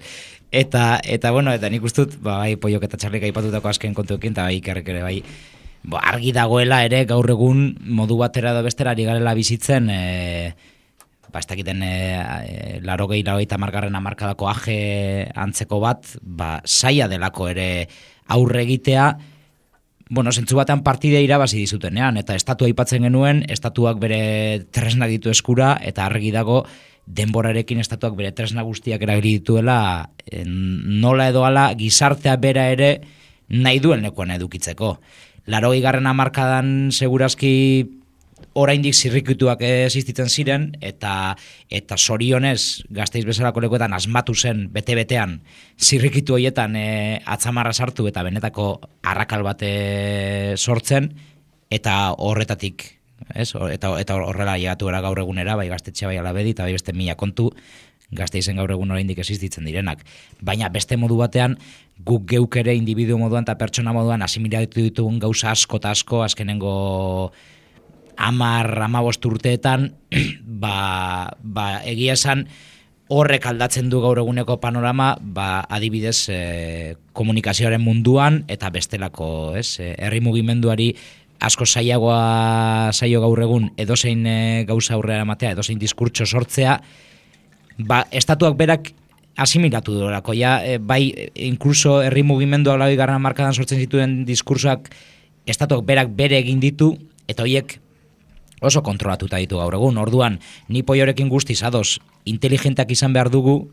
Eta bueno, eta nik ustut, bai, Poiok eta Txarlik aipatutako azken kontuekin, eta bai, Ikerrek ere bai, argi dagoela ere gaur egun modu batera edo bestera ari garela bizitzen, ez dakiten 80 margarren hamarkadako aje antzeko bat, saia delako ere aurre egitea, bueno, zentzu batean partidea irabazi dizutenean, eta estatua aipatzen genuen, estatuak bere tresnak ditu eskura, eta argi dago denborarekin estatuak bere tresna guztiak erabili dituela, nola edo hala gizartea bera ere nahi duen lekuan edukitzeko. 80. hamarkadan segurazki oraindik zirrikituak existitzen ziren, eta zorionez Gasteiz bezalako lekuetan asmatu zen bete-betean zirrikitu horietan atzamarra sartu eta benetako arrakal bat sortzen, eta horretatik, ez? Eta horrela llegatu gara gaur egunera, bai Gaztetxe, bai Alabedi, eta bai beste 1000 kontu Gasteizen gaur egun oraindik existitzen direnak. Baina beste modu batean, guk geuk ere individu moduan eta pertsona moduan asimilatu ditugun gauza asko eta asko azkenengo 10-15 urteetan, egia esan horrek aldatzen du gaur eguneko panorama, adibidez komunikazioaren munduan eta bestelako, herri mugimenduari asko zaio gaur egun edozein gauza aurrera ematea, edozein diskurtso sortzea, estatuak berak asimilatu durako, bai, inkluso herri mugimendua 80. hamarkadan sortzen zituen diskursoak estatuak berak bere egin ditu, eta horiek oso kontrolatuta ditu gaur egun. Orduan, ni Poiorekin guztiz ados inteligentak izan behar dugu,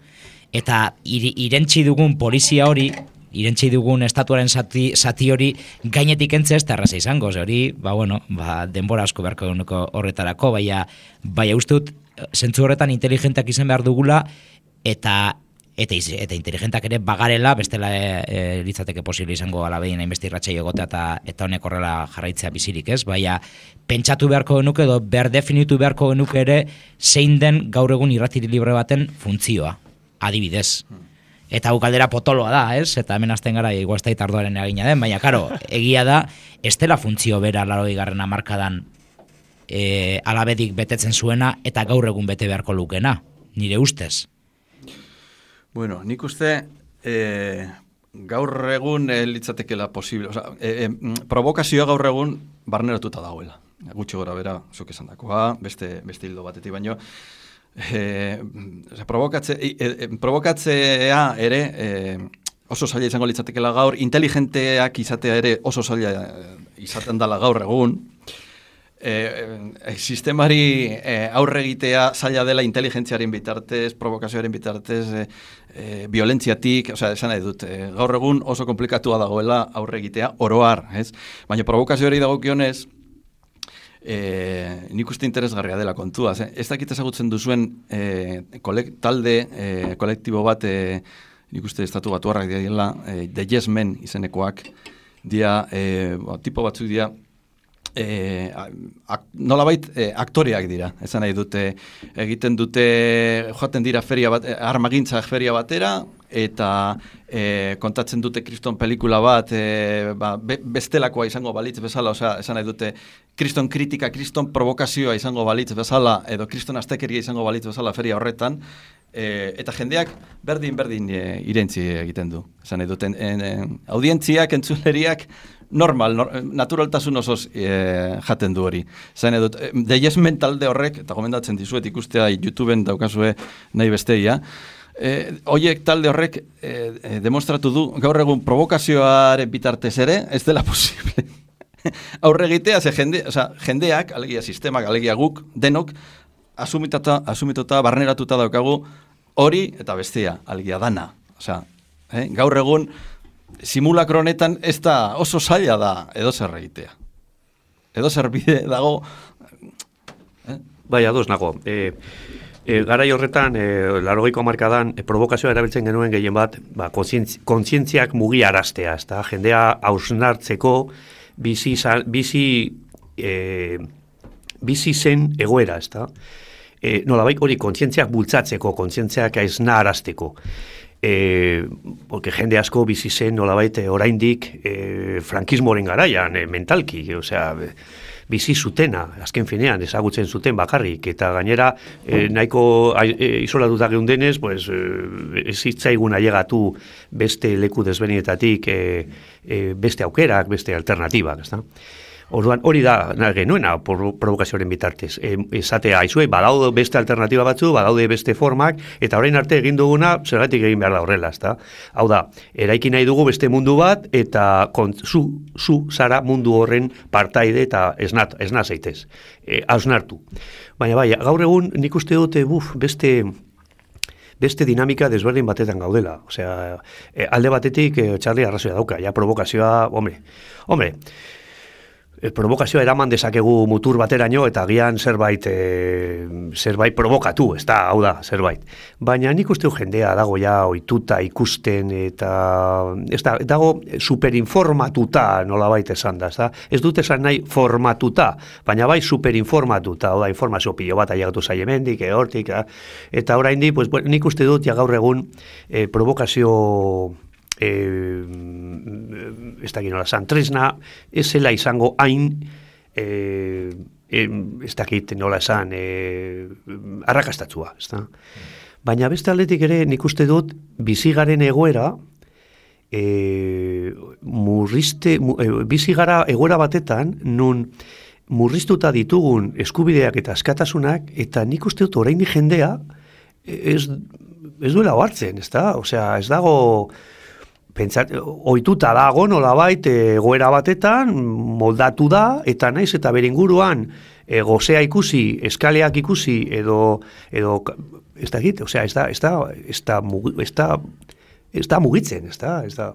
eta irentsi dugun polizia hori, irentsi dugun estatuaren zati hori gainetik entzea ez da erraza izango. Hori, denbora asko beharko eguneko horretarako, baina uste dut, zentzu horretan inteligentak izan behar dugula, eta inteligentak ere bagarela, bestela litzateke posible izango Alabedin hainbeste irratsaio egotea eta honek horrela jarraitzea bizirik, ez? Baina pentsatu beharko genuke edo berdefinitu beharko genuke ere zein den gaur egun irratiri libre baten funtzioa, adibidez. Eta galdera potoloa da, ez? Eta hemen hasten gara igual ez da ardoaren egina den, baina karo, egia da, ez dela funtzio bera 80. hamarkadan Alabedik betetzen zuena eta gaur egun bete beharko lukena, nire ustez. Bueno, nik uste gaur egun litzatekela posible, provokazioa gaur egun barneratuta dagoela. Gutxi gora bera, zuk esan dakoa, beste hildo batetik baino. Provokatzea ere oso zaila izango litzatekela gaur, inteligenteak izatea ere oso zaila izaten dela gaur egun. Sistemari aurre egitea zaila dela inteligentziaren bitartez, provokazioaren bitartez, violentziatik, esan nahi dut, gaur egun oso komplikatua dagoela aurre egitea oroar, ez? Baina provokazioari dagokionez, nik uste interesgarria dela kontua. Ez dakit ezagutzen duzuen talde, kolektibo bat, nik uste estatu batuarrak dira, The Yes Men izenekoak, tipo batzuk dira, nolabait aktoreak dira, esan nahi dute, egiten dute, joaten dira armagintzak feria batera, eta kontatzen dute kriston pelikula bat, bestelakoa izango balitz bezala, esan nahi dute, kriston kritika, kriston provokazioa izango balitz bezala, edo kriston astekeria izango balitz bezala feria horretan, eta jendeak berdin irentzi egiten du. Esan nahi duten, audientziak, entzuleriak, naturaltasun osoz jaten du hori. Zain edut, The Yes Men talde horrek, eta gomendatzen dizuet ikustea YouTubeen daukazue nahi besteia, hoiek talde horrek demostratu du, gaur egun provokazioaren bitartez ere, ez dela posible. Aurre egitea, jendeak, alegia sistemak, alegia guk, denok, asumituta, barneratuta daukagu hori eta bestea, alegia dana. Gaur egun, simulakro honetan ez da oso zaila da edo zer egitea. Edo zer bide dago... Bai, ados nago. Garai horretan, 80ko hamarkadan, provokazioa erabiltzen genuen gehien bat, kontzientziak mugiaraztea, ezta? Jendea hausnartzeko bizi zen egoera, ezta? Nolabait hori kontzientziak bultzatzeko, kontzientziak esnarazteko. Porque jende asko bizi zen nolabait oraindik frankismoren garaian, mentalki, osea, bizi zutena, azken finean, ezagutzen zuten bakarrik, eta gainera nahiko isolatuta geundenez, pues, ez zitzaigun ailegatu beste leku desberdinetatik beste aukerak, beste alternatibak, ezta? Orduan, hori da genuena provokazioaren bitartez. Esatea, aizue, badaude beste alternatiba batzu, badaude beste formak, eta orain arte egin duguna, zergatik egin behar da horrela, ezta? Hau da, eraiki nahi dugu beste mundu bat, eta zu zara mundu horren partaide eta esna zaitez, hausnartu. Baina bai, gaur egun nik uste dute, beste dinamika desberdin batetan gaudela. Osea, alde batetik, Charlie arrazoia dauka, ja provokazioa, hombre, provokazioa eraman dezakegu mutur bateraino eta agian zerbait provokatu, ez da, hau da, zerbait. Baina nik uste jendea dago ja ohituta ikusten eta ez da, dago superinformatuta nolabait esan da, ez da? Ez dut esan nahi formatuta, baina bai superinformatuta, hau da, informazio pilo bat ailegatu zaie mendik, hortik, eta oraindik, pues, nik uste dut ja gaur egun provokazio ez dakit nola zan, tresna ez zela izango hain ez dakit nola esan arrakastatzua, ez da? Baina beste aldetik ere nik uste dut bizigaren egoera bizigara egoera batetan nun murriztuta ditugun eskubideak eta askatasunak eta nik uste dut oraindik jendea ez duela hartzen, ez da? Osea, ez dago ohituta dago nolabait egoera batetan moldatu da eta naiz eta bere inguruan gozea ikusi, eskaleak ikusi edo ez da egite, osea, ez da mugitzen, ez da.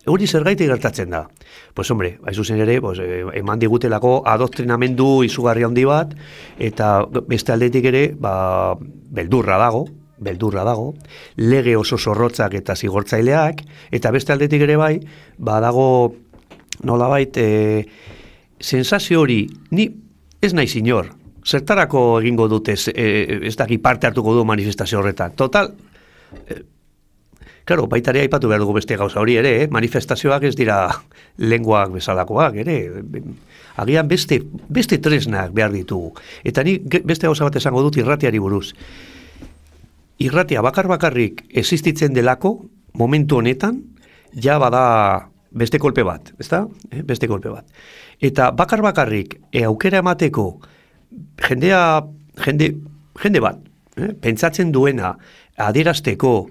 Hori zergatik gertatzen da. Pues hombre, zuzen ere, pues, eman digutelako adoktrinamendu izugarri handi bat eta beste aldetik ere, beldurra dago, lege oso zorrotzak eta zigortzaileak, eta beste aldetik ere bai, dago nolabait sensazio hori, ni ez nahi inor, zertarako egingo dut ez daki parte hartuko du manifestazio horretan. Total, claro, baitare aipatu behar dugu beste gauza hori ere, manifestazioak ez dira lenguak bezalakoak ere, agian beste tresnak behar ditugu. Eta ni beste gauza bat esango dut irratiari buruz. Irratia bakarrik existitzen delako, momentu honetan, ja bada beste kolpe bat, ezta? Beste kolpe bat. Eta bakarrik aukera emateko jende bat, pentsatzen duena, adierazteko,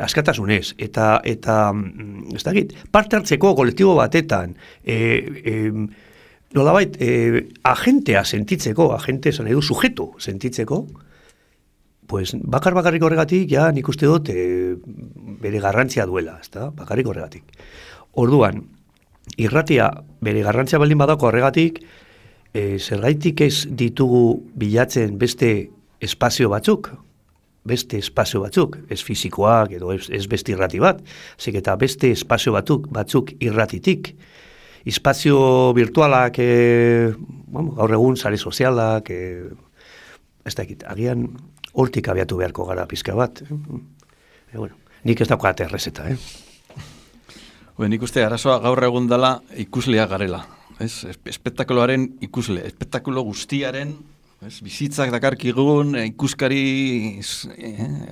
askatasunez, eta ez dakit, parte hartzeko kolektibo batetan, nolabait, agentea sentitzeko, agente esan edo sujeto sentitzeko, pues bakarrik horregatik, ja nik uste dut bere garrantzia duela, ezta? Bakarrik horregatik. Orduan, irratia bere garrantzia baldin badako horregatik, zergaitik ez ditugu bilatzen beste espazio batzuk, ez fizikoak edo ez beste irrati bat, zik eta beste espazio batzuk irratitik, espazio virtualak, gaur egun sare sozialak, ez dakit, agian hortik abiatu beharko gara pizka bat. Bueno, nik ez daukat errezeta, Nik uste, arazoa gaur egun dela ikusleak garela. Espektakuloaren ikusle, espektakulo guztiaren, bizitzak dakarkigun, ikuskari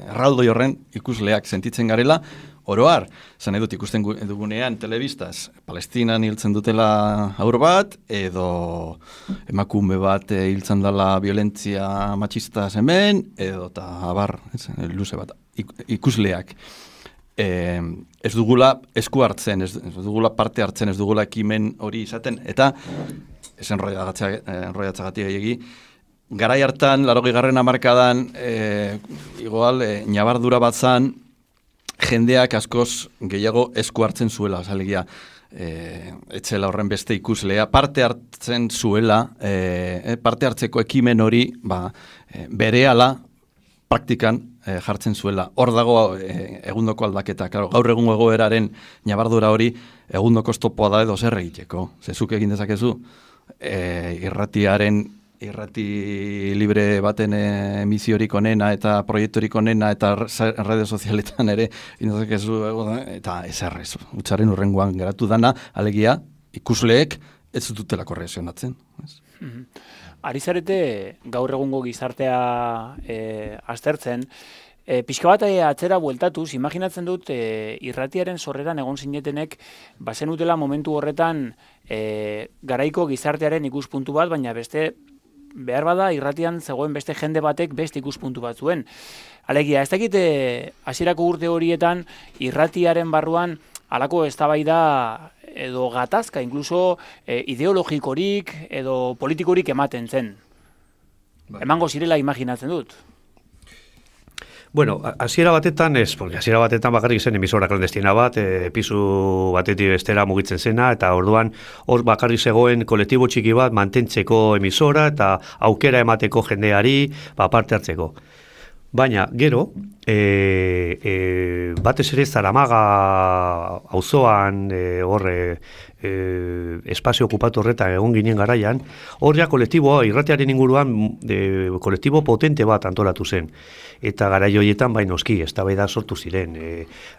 erraldoi horren ikusleak sentitzen garela, oroar, zan edut ikusten dugunean telebistaz, Palestinan hiltzen dutela haur bat, edo emakume bat hiltzen dela violentzia matxista hemen, edo eta abar, luze bat, ikusleak. Ez dugula esku hartzen, ez dugula parte hartzen, ez dugula ekimen hori izaten, eta ez enroiatzagatik gehiagi, garai hartan, 80. hamarkadan, igual, ñabardura bat zan, jendeak askoz gehiago esku hartzen zuela, alegia, etzela horren beste ikuslea, parte hartzen zuela, parte hartzeko ekimen hori, berehala praktikan jartzen zuela. Hor dago egundoko aldaketa. Claro, gaur egungo egoeraren ñabardura hori egundoko oztopoa da edo zer egiteko. Zezuk egin dezakezu, irrati libre baten emisiorik onena eta proiektorik onena eta radio sozialetan ere indezakezu eta ezerrez. Utsaren urrengoan geratu dana, alegia, ikusleek ez dutelako reakzionatzen. Ari zarete gaur egungo gizartea aztertzen, pixka bat atzera bueltatuz, imaginatzen dut irratiaren sorreran egon zinetenek bazenutela momentu horretan garaiko gizartearen ikuspuntu bat, baina beste behar bada irratian zegoen beste jende batek beste ikuspuntu bat zuen. Alegia, ez dakit hasierako urte horietan irratiaren barruan halako eztabaida edo gatazka, inkluso ideologikorik edo politikorik ematen zen. Emango zirela imaginatzen dut. Bueno, hasiera batetan ez, porque hasiera batetan bakarrik zen emisora klandestina bat, pisu batetik bestera mugitzen zena, eta orduan hor bakarrik zegoen kolektibo txiki bat mantentzeko emisora eta aukera emateko jendeari parte hartzeko. Baina, gero, batez ere Zaramaga auzoan espazio okupatu horretan egon ginen garaian, hor ja kolektiboa, irratiaren inguruan kolektibo potente bat antolatu zen. Eta garai horietan noski, eztabaida sortu ziren.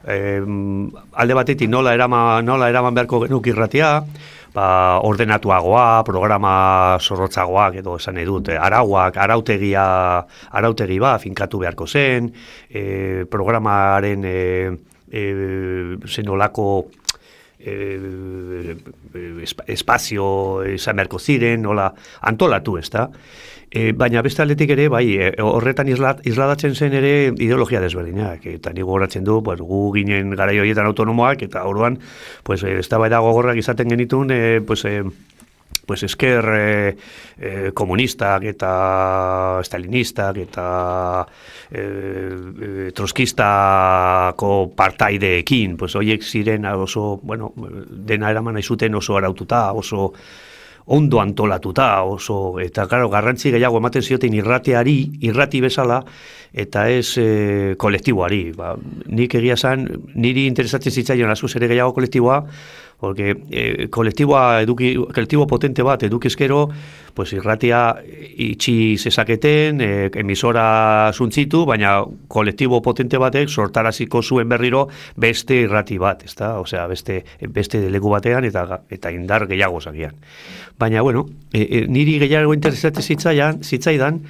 Alde batetik nola eraman beharko genuk irratia, ordenatuagoa, programa zorrotzagoak edo esan edut, arautegi finkatu beharko zen, programaren zenolako espazio izan beharko ziren, nola antolatu, ez da? Baina beste aldetik ere, horretan isladatzen zen ere ideologia desberdinak, eta nigo horatzen du, gu ginen garai horietan autonomoak, eta orduan, eztabaida gogorrak izaten genitun, esker komunistak eta stalinistak eta troskistako partaideekin, horiek ziren oso, dena eraman nahi zuten oso araututa, oso ondo antolatuta, eta garrantzi gehiago ematen zioten irrati bezala, eta ez kolektiboari. Nik egia zan, niri interesatzen zitzaion askoz ere gehiago kolektiboa, porque kolektibo potente bat edukizkero, irratia itxi zezaketen, emisora zuntzitu, baina kolektibo potente batek sortaraziko zuen berriro beste irrati bat, ezta? Osea, beste leku batean eta indar gehiago zagian. Baina, niri gehiago interesatzen zitzaidan,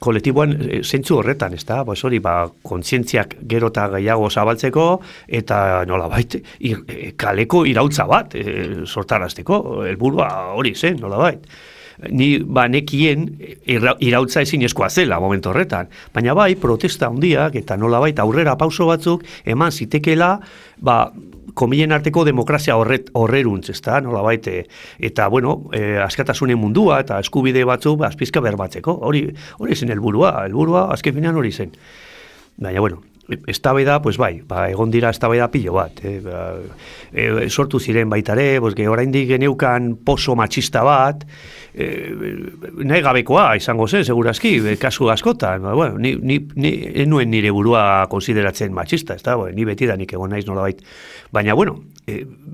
kolektiboan zentzu horretan, ez da? Hori, kontzientziak gero eta gehiago zabaltzeko, eta nolabait, kaleko irautza bat sortarazteko, helburua hori zen, nolabait. Ni nekien irautza ezinezkoa zela momentu horretan, baina protesta handiak eta nolabait aurrera pauso batzuk eman zitekela, komilen arteko demokrazia horreruntz, ez da, nolabait, eta, askatasunen mundua eta eskubide batzuk azpizka berbatzeko, hori zen helburua azken finean hori zen. Baina, eztabaida, egon dira eztabaida pilo bat, sortu ziren baitare, oraindik geneukan poso matxista bat, nahi gabekoa izango zen, segurazki, kasu askotan, ni nuen nire burua konsideratzen matxista, ez da, ni beti da nik egon naiz nolabait, baina,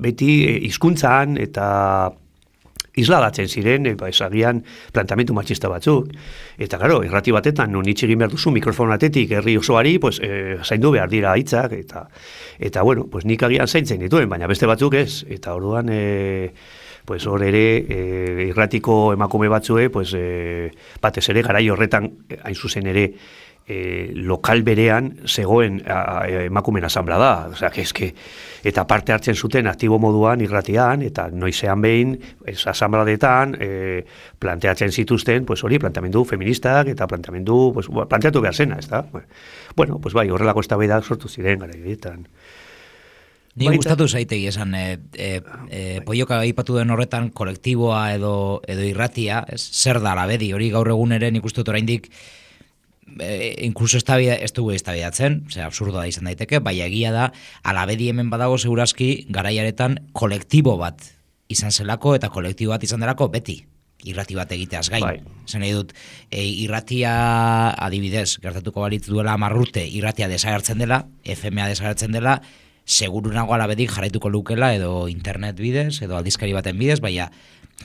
beti hizkuntzan eta isladatzen ziren, esagian plantamentu matxista batzuk, eta gero, irrati batetan, non hitz egin behar duzu mikrofonatetik herri osoari, zaindu behar dira hitzak, eta nik agian zaintzen dituen, baina beste batzuk ez, eta orduan, hor ere, irratiko emakume batzue, batez ere garai horretan, hain zuzen ere, lokal berean zegoen emakumen asamblea da, eta parte hartzen zuten aktibo moduan irratian, eta noizean behin asambladetan planteatzen zituzten, hori, planteamendu feministak, eta planteatu behar zena, ez da? Horrelako eztabaidak sortu ziren gara egiten. Ni gustatu zaitegi esan, poioka aipatu den horretan kolektiboa edo irratia, zer da labedi, hori gaur egun ere nik uste dut oraindik inkluso ez dugu eztabaidatzen, absurdoa izan daiteke, bai egia da, alabedi hemen badago segurazki garaiaretan kolektibo bat izan zelako eta kolektibo bat izan delako beti irrati bat egiteaz gain. Bai. Zen nahi dut, irratia adibidez, gertatuko balitz duela 10 urte, irratia desagertzen dela, FMA desagertzen dela, seguru nago alabedik jarraituko lukela edo internet bidez, edo aldizkari baten bidez, baina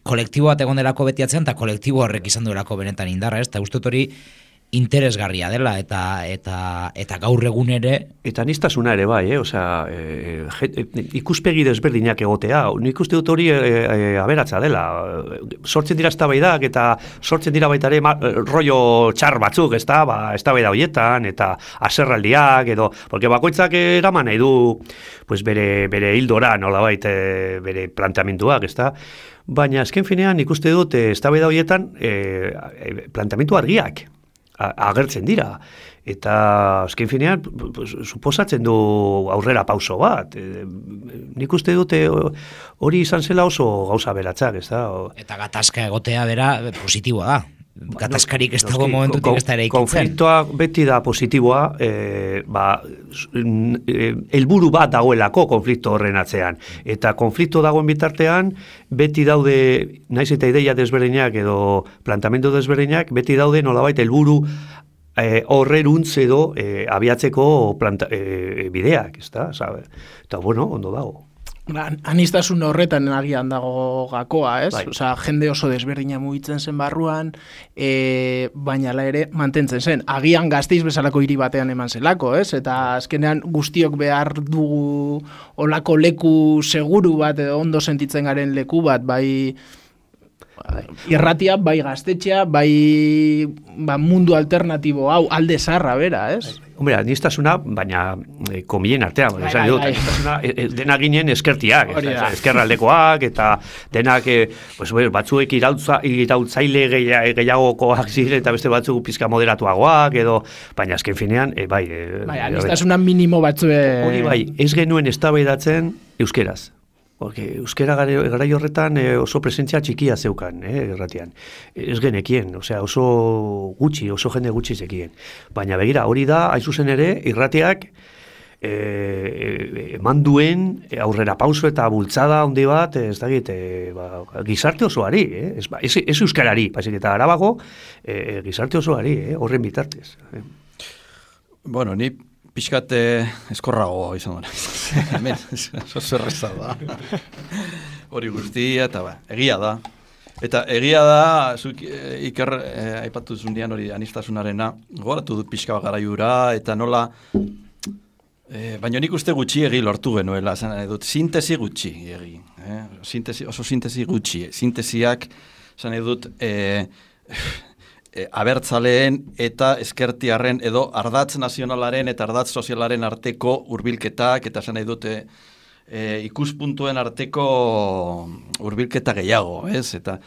kolektibo bat egon delako betiatzen, eta kolektibo horrek izan duelako benetan indarra, ez? Eta uste hori interesgarria dela, eta gaur egun ere... Eta niztasuna ere bai, osea, ikuspegi desberdinak egotea, nik uste dut hori aberatza dela. Sortzen dira eztabaidak eta sortzen dira baita ere rollo txar batzuk, eztabaida horietan, eta haserraldiak, edo, porque bakoitzak eraman nahi du pues bere hildora, nolabait bere planteamenduak, ezta? Baina azken finean ikuste dut eztabaida horietan planteamendu argiak agertzen dira, eta azken finean suposatzen du aurrera pauso bat. Nik uste dute hori izan zela oso gauza beratzak, ez da? Eta gatazka egotea bera positiboa da. Gatazkarik ez dago momentutik ez da ere ikitzen. Konfliktoa beti da positiboa, helburu bat dagoelako konflikto horren atzean. Eta konflikto dagoen bitartean, beti daude, naiz eta ideia desberdinak edo plantamendu desberdinak, beti daude nolabait helburu horreruntz edo abiatzeko bideak, ez da? Eta bueno, ondo dago. Anistasun horretan agian dago gakoa, ez? Bai. Osea, jende oso desberdina mugitzen zen barruan, baina ala ere mantentzen zen. Agian Gasteiz bezalako hiri batean eman zelako, ez? Eta azkenean guztiok behar dugu olako leku seguru bat edo ondo sentitzen garen leku bat, bai irratia, bai gaztetxea, bai mundu alternatibo hau, alde zarra bera, ez? Hombre, anistasuna, baina komien artean, anistasuna dena ginen eskertiak, eskerraldekoak, eta denak batzuek irautzaile gehiagokoak ziren, eta beste batzuk pizka moderatuagoak, edo, baina azken finean, bai. Anistasuna minimo batzue... Hori bai, ez genuen eztabaidatzen euskeraz. Porque euskera garai horretan oso presentzia txikia zeukan, erratian. Ez genekien, osea, oso jende gutxi zekien. Baina begira, hori da, hain zuzen ere, irratiak eman duen aurrera pauso eta bultzada handi bat, ez dakit, gizarte osoari, ez euskarari, baizik eta arabago, gizarte osoari, horren bitartez. Bueno, ni pixkat eskorrago izan dara. Hemen, zerreza da. Hori guztia, eta egia da. Eta egia da, zuk Iker aipatu zundian hori anistasunarena, gogoratu dut pixka garaiura, eta nola, baina nik uste gutxiegi lortu genuela, dut sintesi gutxiegi. Oso sintesi gutxi. Sintesiak, zan dut, abertzaleen eta ezkertiarren edo ardatz nazionalaren eta ardatz sozialaren arteko hurbilketak eta esan nahi dute ikuspuntuen arteko hurbilketa gehiago, ez? Eta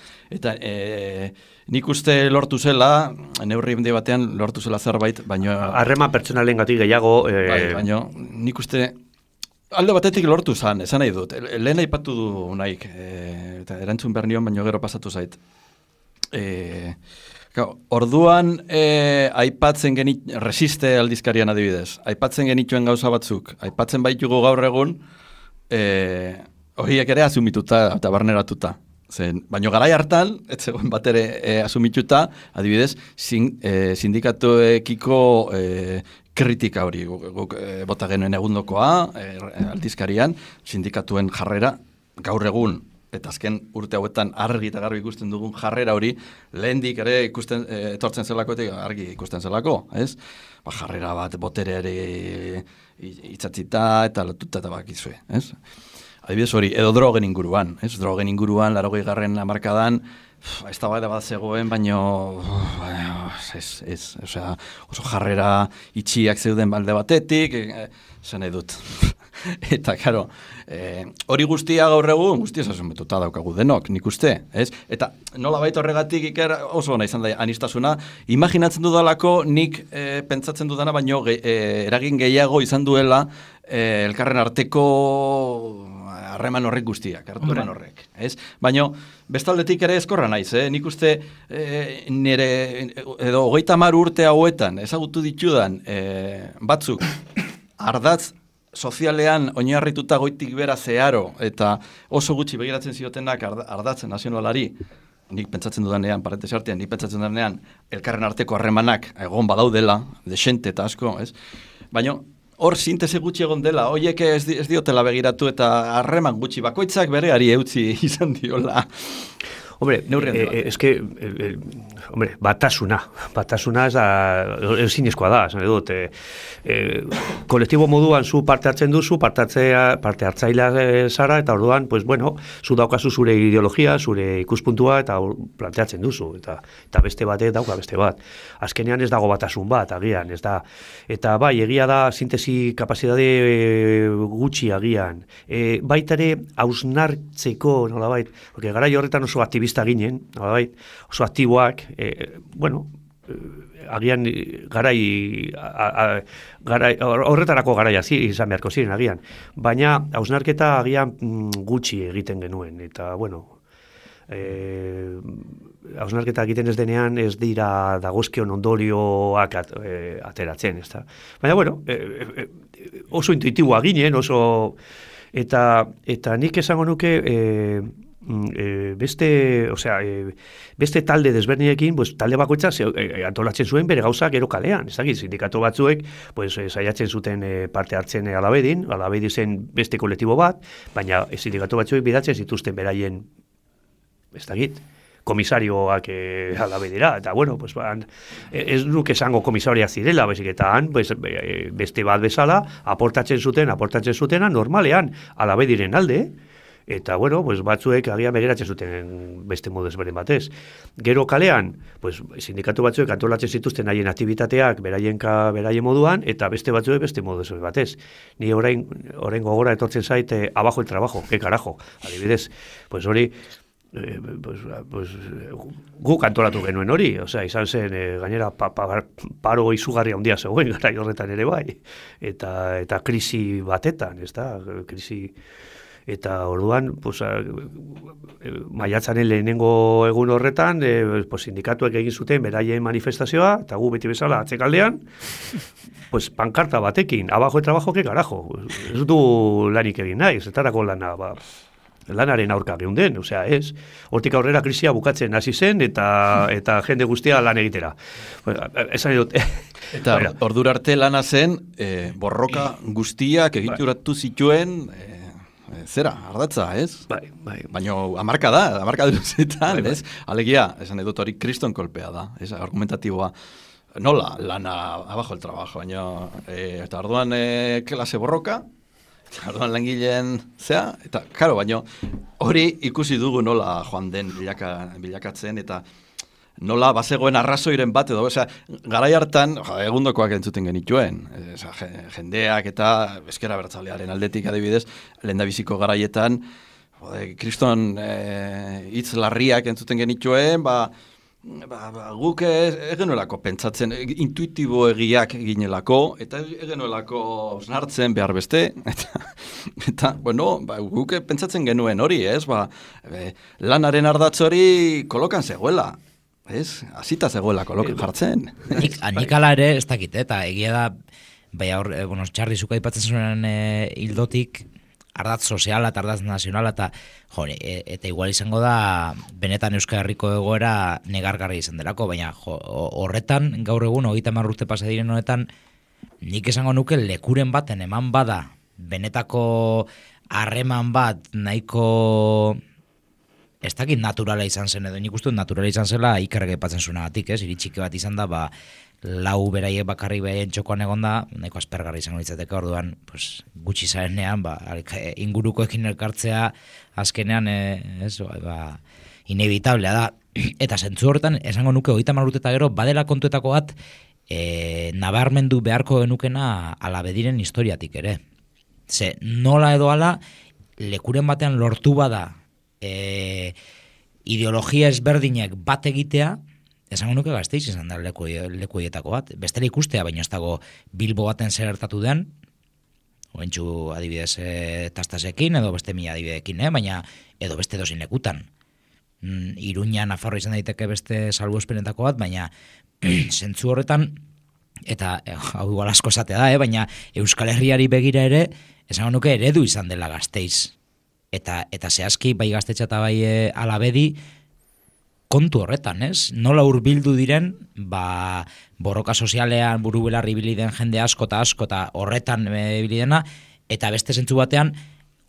nik uste lortu zela, neurri batean lortu zela zerbait, baina... Harreman pertsonalen gatik gehiago... Baina nik uste... Alde batetik lortu zan, esan nahi dut. Lehen aipatu du naik, eta erantzun behar nion, baina gero pasatu zait. Orduan aipatzen resiste aldizkarian adibidez, aipatzen genituen gauza batzuk, aipatzen baitugu gaur egun, horiek ere asumituta eta barneratuta. Baina garai hartan, ez zegoen bat ere asumituta, adibidez, sindikatuekiko kritika hori, guk bota genuen egundokoa, aldizkarian, sindikatuen jarrera, gaur egun, eta azken urte hauetan argi eta garbi ikusten dugun jarrera hori, lehendik ere ikusten etortzen zelako eta argi ikusten zelako, ez? Jarrera bat botereare itzatzita eta lotuta eta bakizue, ez? Adibidez hori, edo drogen inguruan, ez? Drogen inguruan, 80. hamarkadan, ez da bat zegoen, baino osea, oso jarrera itxiak zeuden balde batetik, zen nahi dut. Eta, karo, hori guztia gaur egun, guztia asumetuta daukagu denok, nik uste, ez? Eta nola baita horregatik Iker oso ona izan da anistasuna, imaginatzen dudalako nik pentsatzen dudana, baino eragin gehiago izan duela elkarren arteko harreman horrek guztiak, hartuman horrek, ez? Baina, bestaldetik ere eskorra naiz, nik uste nire, edo 30 urte hauetan, ezagutu ditudan batzuk, ardatz sozialean oinarrituta goitik bera zeharo, eta oso gutxi begiratzen ziotenak ardatzen nazionalari, nik pentsatzen dudanean, parentesi artean, nik pentsatzen dudanean, elkarren arteko harremanak egon badaudela, desente eta asko, ez? Baina, hor sintesi gutxi egon dela, hoiek ez diotela begiratu eta harreman gutxi bakoitzak bereari eutzi izan diola. Hombre, batasuna ez da, ezinezkoa da, esan dut, kolektibo moduan zu parte hartzen duzu, parte hartzailea zara, eta orduan, pues bueno, zu daukazu zure ideologia, zure ikuspuntua, eta planteatzen duzu, eta beste batek dauka beste bat. Azkenean ez dago batasun bat, agian, ez da, eta bai, egia da, sintesi kapazidade gutxi agian, baitare hausnartzeko, nolabait, porque garai horretan oso aktivista ginen, nolabait, oso aktiboak, agian horretarako garaia izan beharko ziren agian, baina hausnarketa agian gutxi egiten genuen, eta bueno, hausnarketa egiten ez denean ez dira dagozkion ondorioak ateratzen, ez da. Baina bueno, oso intuitiboa ginen, oso, eta nik esango nuke beste talde desberdinekin, pues, talde bakoitza antolatzen zuen bere gauzak gero kalean, ez dakit, sindikatu batzuek pues, saiatzen zuten parte hartzen Alabedin zen beste kolektibo bat, baina sindikatu batzuek bidatzen zituzten beraien, ez dakit, komisarioak Alabedira, eta bueno, pues, ez nuke esango komisariak zirela, baizik eta han, pues, beste bat bezala, aportatzen zutena normalean Alabediren alde, eta, bueno, pues, batzuek agian begiratzen zuten beste modu ezberdin batez. Gero kalean, pues, sindikatu batzuek antolatzen zituzten haien aktivitateak beraien moduan, eta beste batzuek beste modu ezberdin batez. Ni orain gogora etortzen zait, abajo el trabajo, que carajo. Adibidez, pues hori, guk antolatu genuen hori, osea, izan zen, gainera, paro izugarri handia zegoen, garai horretan ere bai, eta krisi batetan, ez da, krisi. Eta orduan, pues, maiatzaren lehenengo egun horretan, pues, sindikatuek egin zuten beraien manifestazioa, eta gu beti bezala atzekaldean, pues, pankarta batekin, abajo el trabajo, que carajo. Ez du lanik egin nahi, zetarako lanaren aurka geunden, osea, ez. Hortik aurrera krisia bukatzen hasi zen, eta jende guztia lan egitera. Esan dut. Eta ordura arte lana zen, borroka guztiak egituratu zituen, zera, ardatza, ez? Bai. Baina hamarka luzetan, ez? Alegia, esan edut hori kriston kolpea da, ez? Argumentatiboa. Nola, lana abajo el trabajo, baina, eta orduan klase borroka, eta orduan langileen zea, eta, karo, baina hori ikusi dugu nola joan den bilakatzen, eta nola bazegoen arrazoiren bat edo, osea, garai hartan, egundokoak entzuten genituen, jendeak eta ezker abertzalearen aldetik adibidez, lehendabiziko garaietan, kriston hitz larriak entzuten genituen, guk egenuelako pentsatzen, intuitibo egiak ginelako, eta egenuelako snartzen behar beste, eta bueno, guk pentsatzen genuen hori, ez, lanaren ardatz hori kolokan zegoela, ez, azita zegoela kolokan jartzen. Nik ala ere, ez dakit, eta egia da, baina hor, Txarri zuka ipatzen zuen hildotik, ardatz soziala eta ardatz nazionala, eta igual izango da, benetan Euskal Herriko egoera negargarri izan delako, baina horretan, gaur egun, 30 urte pasa diren honetan, nik esango nuke lekuren baten eman bada, benetako harreman bat, nahiko, ez dakit naturala izan zen, edo nik uste naturala izan zela Ikerrek aipatzen zuenagatik, iritxike bat izan da, lau beraiek bakarrik behaien txokoan egon da, nahiko aspergarri izango ditzateke, orduan, pues, gutxi zarenean, ingurukoekin elkartzea, azkenean, inevitablea da. Eta zentzu horretan, esango nuke 30 urte eta gero, badela kontuetako bat, nabarmendu beharko genukena Alabediren historiatik ere. Ze nola edo ala, lekuren batean lortu bada ideologia ezberdinek bat egitea, esango nuke Gasteiz izan da lekuietako bat. Bestela ikustea, baina ez dago Bilbo baten zer gertatu den, oentxu adibidez Tastasekin, edo beste mila adibidekin, baina edo beste dozin lekutan. Iruña, Nafarro izan daiteke beste salbuespenetako bat, baina zentzu horretan, eta hau igual asko esatea da, baina Euskal Herriari begira ere, esango nuke eredu izan dela Gasteiz. Eta zehazki, bai Gaztetxa eta bai Alabedi, kontu horretan, ez? Nola hurbildu diren, borroka sozialean buru belarri ibili den jende asko eta horretan ibili dena, eta beste zentzu batean,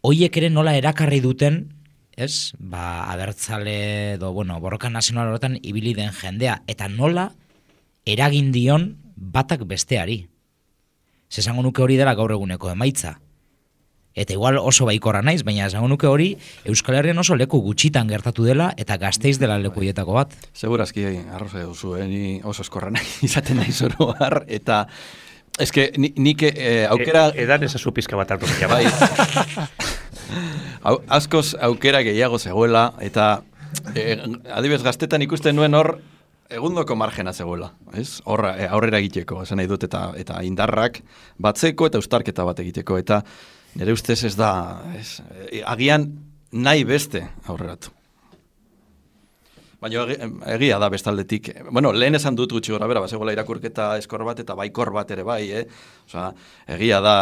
hoiek ere nola erakarri duten, ez? Abertzale edo, borroka nazional horretan ibili den jendea, eta nola eragin dion batak besteari. Esango nuke hori dela gaur eguneko emaitza. Eta igual oso baikorra naiz, baina esango nuke hori Euskal Herrian oso leku gutxitan gertatu dela eta Gasteiz dela lekuietako bat. Segurazki, arroza duzu, ni oso eskorra nahi izaten nahi zoro har, eta eske nik aukera... Edan ezazu pizka bat hartu bai. Askoz aukera gehiago zegoela, eta adibidez Gaztetan ikusten nuen hor egundoko margena zegoela, ez? Aurrera egiteko, esan nahi dut, eta indarrak batzeko eta eustarketa bat egiteko, eta nire ustez ez da, agian nahi beste aurreratu. Baina egia da bestaldetik, lehen esan dut gutxi gora bera, bazegoela irakurketa eskor bat eta baikor bat ere bai, Osea, egia da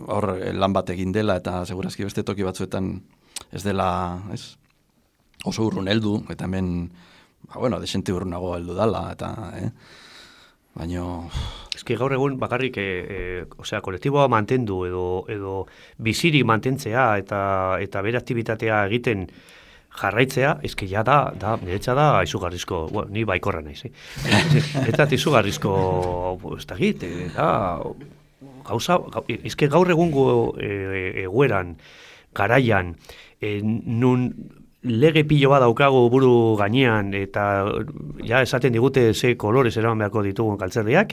hor lan bat egin dela, eta segurazki beste toki batzuetan ez dela, ez? Oso urrun heldu, eta hemen, desente urrunago heldu dala, eta, baino... Eski gaur egun bakarrik, kolektiboa mantendu edo biziri mantentzea eta bere aktibitatea egiten jarraitzea, eski ja da, niretza da izugarrizko, ni baikorra naiz, eta izugarrizko, ez da git, gauza, eski gaur egungo egueran, garaian, nun lege pilo bat daukago buru gainean, eta ja esaten digute ze kolorez eraman beharko ditugun kaltzerriak,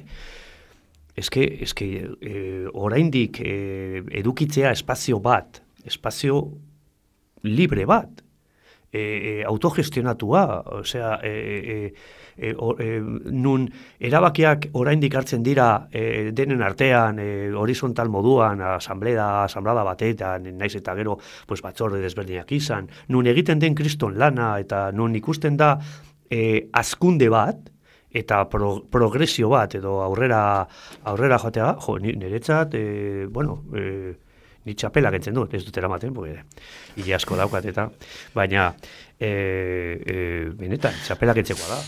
eske oraindik edukitzea espazio bat, espazio libre bat, autogestionatua, osea, nun erabakiak oraindik hartzen dira denen artean, horizontal moduan, asamblea batetan, naiz eta gero batzorde desberdinak izan, nun egiten den kriston lana, eta nun ikusten da hazkunde bat, eta progresio bat, edo aurrera joatea, niretzat, ni txapelak entzen dut, ez dut eramaten, hile asko daukat eta, baina, benetan, txapelak entzekoa da.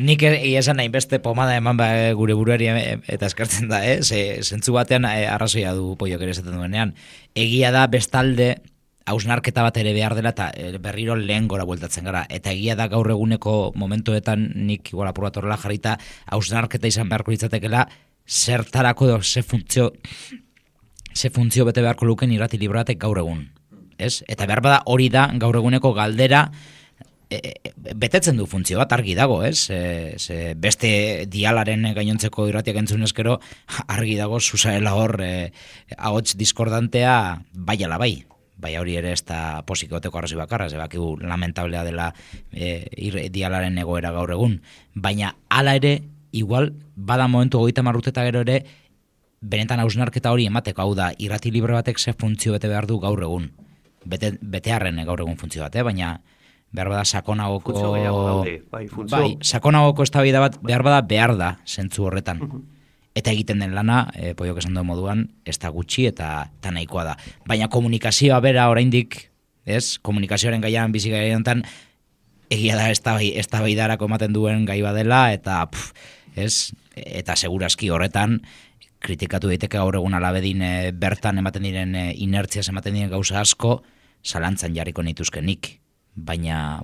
Nik esan nahi beste pomada eman gure buruari eta eskartzen da, zentzu batean arrazoia du Poiok ere esaten duenean. Egia da bestalde hausnarketa bat ere behar dela eta berriro lehen gora bueltatzen gara. Eta egia da gaur eguneko momentuetan nik igual apur bat horrela jarrita hausnarketa izan beharko litzatekela zertarako edo ze funtzio bete beharko luken irrati libratek gaur egun. Eta behar bada hori da gaur eguneko galdera betetzen du funtzio bat argi dago, beste dialaren gainontzeko irratiak entzunezkero argi dago zuzaela hor ahots diskordantea bai ala bai. Bai hori ere ez da posikoteko arrazi bakarra, bakigu lamentablea dela dialaren egoera gaur egun. Baina hala ere, igual, bada momentu 30 urteta gero ere, benetan hausnarketa hori emateko, hau da, irrati libre batek ze funtzio bete behar du gaur egun. Betearren gaur egun funtzio bat, baina behar bada sakonagoko... sakonagoko eztabaida bat behar da, zentzu horretan. Eta egiten den lana, Poiok esan duen moduan, ez da gutxi eta nahikoa da. Baina komunikazioa bera oraindik, komunikazioaren gaian bizi gaian egia da eztabaidarako ematen duen gai badela, eta eta segurazki horretan, kritikatu daiteke gaur egun Alabedin bertan ematen diren inertziaz ematen diren gauza asko, zalantzan jarriko nituzkenik. Baina,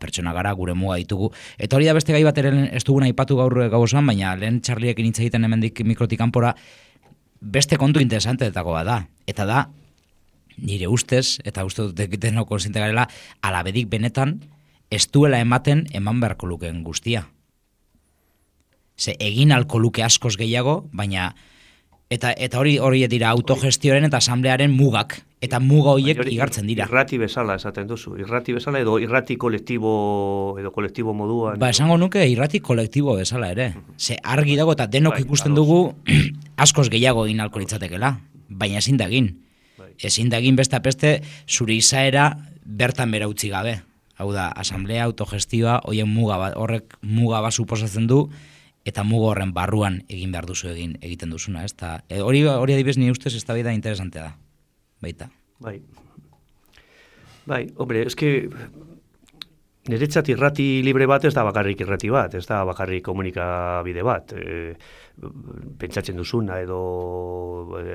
pertsona gara, gure muga ditugu. Eta hori da beste gai bat ere ez dugun aipatu gaur gauzan, baina lehen Txarliekin hitz egiten hemendik mikrotik kanpora beste kontu interesanteetako da. Eta da, nire ustez, eta uste dut denok konsiente garela, Alabedik benetan ez duela eman beharko lukeen guztia. Egin alko luke askoz gehiago, baina Eta hori dira autogestioaren eta asamblearen mugak. Eta muga horiek igartzen dira. Irrati bezala esaten duzu. Irrati bezala edo irrati kolektibo moduan. Esango nuke irrati kolektibo bezala ere. Ze argi dago eta denok ikusten dugu askoz gehiago egin alko litzatekela. Baina ezin da egin. Ezin da egin beste apeste zure izaera bertan bera utzi gabe. Hau da, asamblea, autogestioa, horrek muga bat suposatzen du, eta muga horren barruan egin behar duzu egiten duzuna. Hori adibidez ni ustez eztabaida interesantea da. Baita. Bai, hombre, eske niretzat irrati libre bat ez da bakarrik irrati bat, ez da bakarrik komunikabide bat. Pentsatzen duzuna edo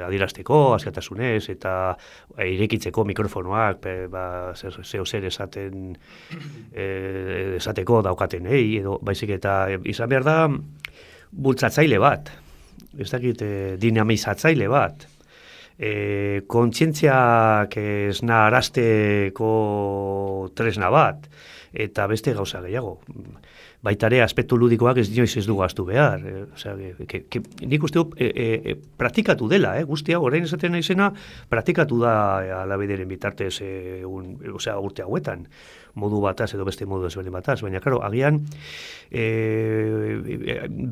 adierazteko, askatasunez, eta irekitzeko mikrofonoak, zer esateko daukatenei, edo baizik eta izan behar da bultzatzaile bat, ez dakit dinamizatzaile bat. Kontzientziak esna arazteko tresna bat, eta beste gauza gehiago. Baitare aspektu ludikoak ez dinoiz ez du gaztu behar. Nik uste praktikatu dela, guztia, orain esaten naizena, praktikatu da alabederen bitartez urte hauetan, modu bataz edo beste modu ezberdin bataz, baina, karo, agian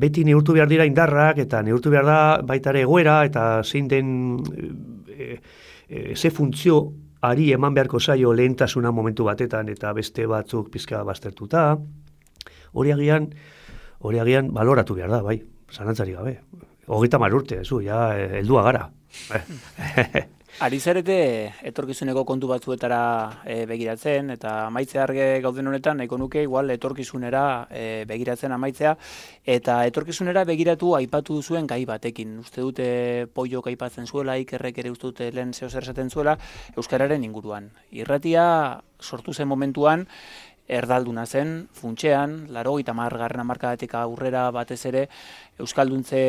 beti neurtu behar dira indarrak, eta neurtu behar da baitare egoera, eta zein den ze funtzio ari eman beharko zaio lehentasuna momentu batetan, eta beste batzuk pizka baztertuta, hori agian baloratu behar da, bai, zalantzari gabe. 30 urte, heldua gara. Ari zarete etorkizuneko kontu batzuetara begiratzen, eta amaitze arge gauden honetan, nahiko nuke igual etorkizunera begiratzen amaitzea, eta etorkizunera begiratu aipatu duzuen gai batekin. Uste dute Poiok aipatzen zuela, Ikerrek ere uste dute lehen zehozer esaten zuela, euskararen inguruan. Irratia sortu zen momentuan, erdalduna zen, funtsean, 80. hamarkadatik aurrera batez ere, euskalduntze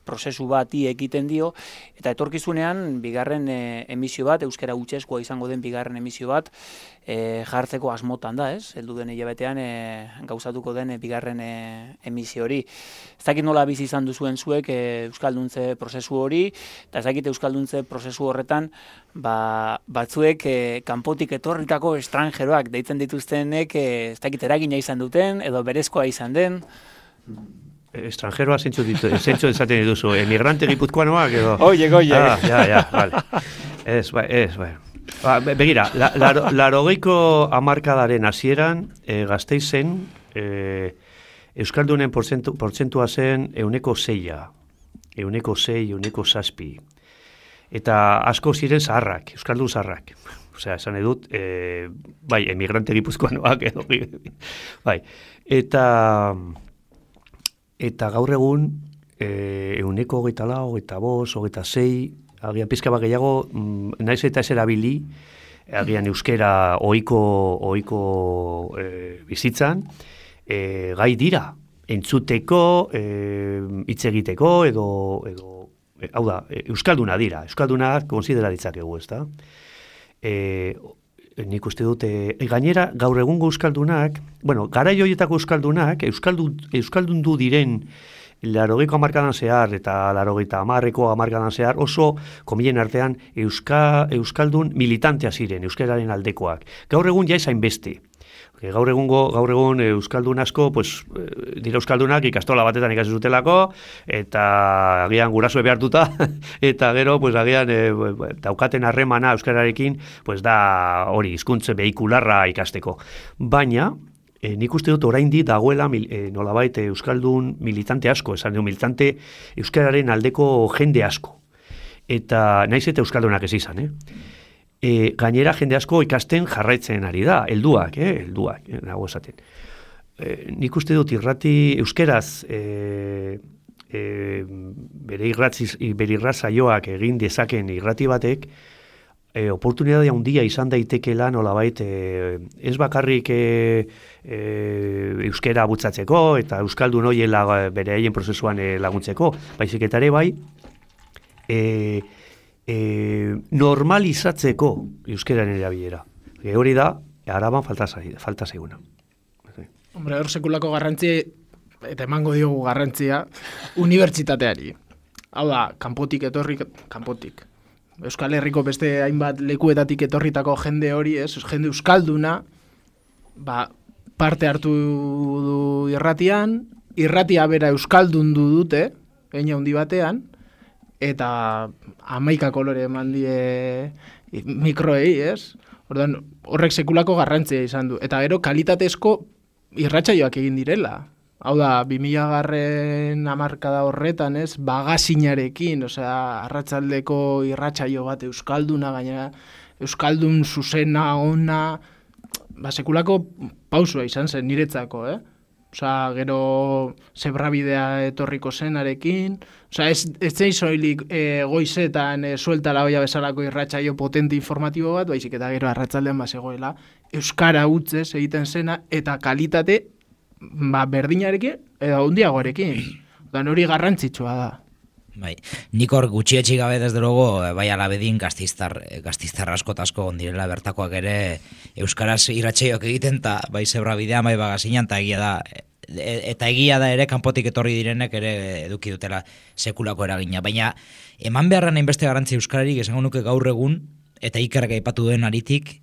prozesu bati egiten dio, eta etorkizunean bigarren emisio bat, euskara hutsezkoa izango den bigarren emisio bat, jartzeko asmotan da, ez? Heldu den hilabetean gauzatuko den bigarren emisio hori. Ez dakit nola bizi izan duzuen zuek euskalduntze prozesu hori, eta ez dakit euskalduntze prozesu horretan batzuek kanpotik etorritako estrangeroak deitzen dituztenek ez dakit eragina izan duten, edo berezkoa izan den. Estrangeroa zentzu esaten dituzu, emigrante gipuzkoanoak edo... Oie. Vale. Ez, bai. Begira, 80ko hamarkadaren hasieran Gasteizen euskaldunen portzentua zen 6%, 6, eta asko ziren zaharrak, euskaldun zaharrak. Osea, esan edut, bai, emigrante gipuzkoanoak edo, bai, eta gaur egun 24, 26, agian pizka bat gehiago, naiz eta ez erabili, agian euskera ohiko bizitzan, gai dira, entzuteko, hitz egiteko, edo hau da, euskalduna dira, euskaldunak konsidera ditzakegu, ezta? Nik uste dute, gainera gaur egungo euskaldunak, garai horietako euskaldunak, euskaldundu diren 80ko hamarkadan zehar eta 80ko hamarkadan zehar oso, komillen artean, euskaldun militantea ziren, euskararen aldekoak. Gaur egun ja ezain beste. Gaur egun euskaldun asko, dira euskaldunak ikastola batetan ikasi zutelako, eta agian gurasoe behartuta, eta gero, agian daukaten harremana euskararekin, da hori, hizkuntza behikularra ikasteko. Baina, nik uste dut oraindik dagoela nolabait euskaldun militante asko, esan du militante euskararen aldeko jende asko. Eta naiz eta euskaldunak ez izan, gainera jende asko ikasten jarraitzen ari da, helduak, nago esaten. Nik uste dut irrati euskeraz bere irratzaioak egin dezaken irrati batek, oportunidade handia izan daitekela nolabait ez bakarrik euskera bultzatzeko eta euskaldun hoiela bere haien prozesuan laguntzeko, baizik eta ere bai, normalizatzeko euskeraren erabilera. Hori da, Araban falta zaiguna. Hombre, hor sekulako garrantzia, eta emango diogu garrantzia, unibertsitateari. Hau da, kanpotik. Euskal Herriko beste hainbat lekuetatik etorritako jende hori, jende euskalduna, parte hartu du irratia bera euskaldundu dute, hein handi batean, eta 11 kolore eman die mikroei, Orduan, horrek sekulako garrantzia izan du. Eta gero, kalitatezko irratsaioak egin direla. Hau da, 2000 hamarkada horretan, bagazinarekin, arratsaldeko irratsaio bat euskalduna, gainera, euskaldun zuzena, ona, sekulako pausua izan zen niretzako, gero zebrabidea etorriko zenarekin, ez zein soilik goizetan suelta la olla bezalako irratsaio potente informatibo bat, baizik eta gero arratsaldean bazegoela euskara hutzez egiten zena eta kalitate berdinarekin edo handiagoarekin. Hori garrantzitsua da. Bai, nik hor gutxietxi gabe desde luego, bai alabedin gaztiztar asko ondirela bertakoak ere euskaraz irratsaioak egiten, eta bai zebrabidea, bai bagazinan, eta egia da ere kanpotik etorri direnek ere eduki dutela sekulako eragina. Baina eman beharra hainbeste garrantzi euskararik esango nuke gaur egun, eta Ikerrek aipatu duen aritik,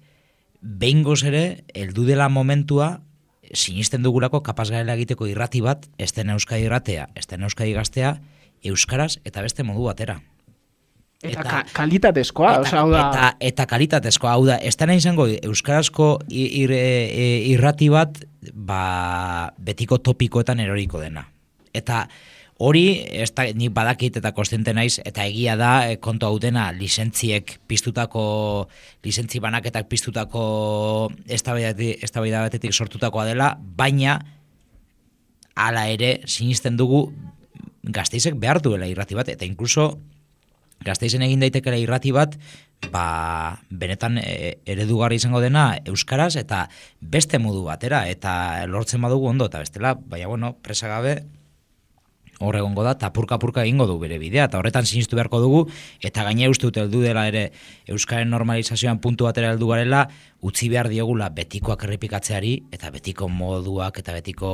behingoz ere, heldu dela momentua, sinisten dugulako kapaz garela egiteko irrati bat, ez den Euskadi irratea, ez den Euskadi gaztea, euskaraz eta beste modu batera. Eta kalitatezkoa, eta kalitatezkoa, hau da, ez dena izango euskarazko irrati bat, betiko topikoetan eroriko dena. Eta hori, nik badakit eta kontziente naiz, eta egia da, kontu hau dena, lizentzi banaketak piztutako eztabaida batetik sortutakoa dela, baina hala ere sinisten dugu Gasteizek behar duela irrati bat, eta inkluso Gasteizen egin daitekela irrati bat, benetan eredugarri izango dena euskaraz eta beste modu batera, eta lortzen badugu ondo, eta bestela, presa gabe hor egongo da, eta purka egingo du bere bidea, eta horretan sinistu beharko dugu, eta gaine uste dut heldu dela ere euskaren normalizazioan puntu batera heldu garela, utzi behar diogula betikoak errepikatzeari, eta betiko moduak, eta betiko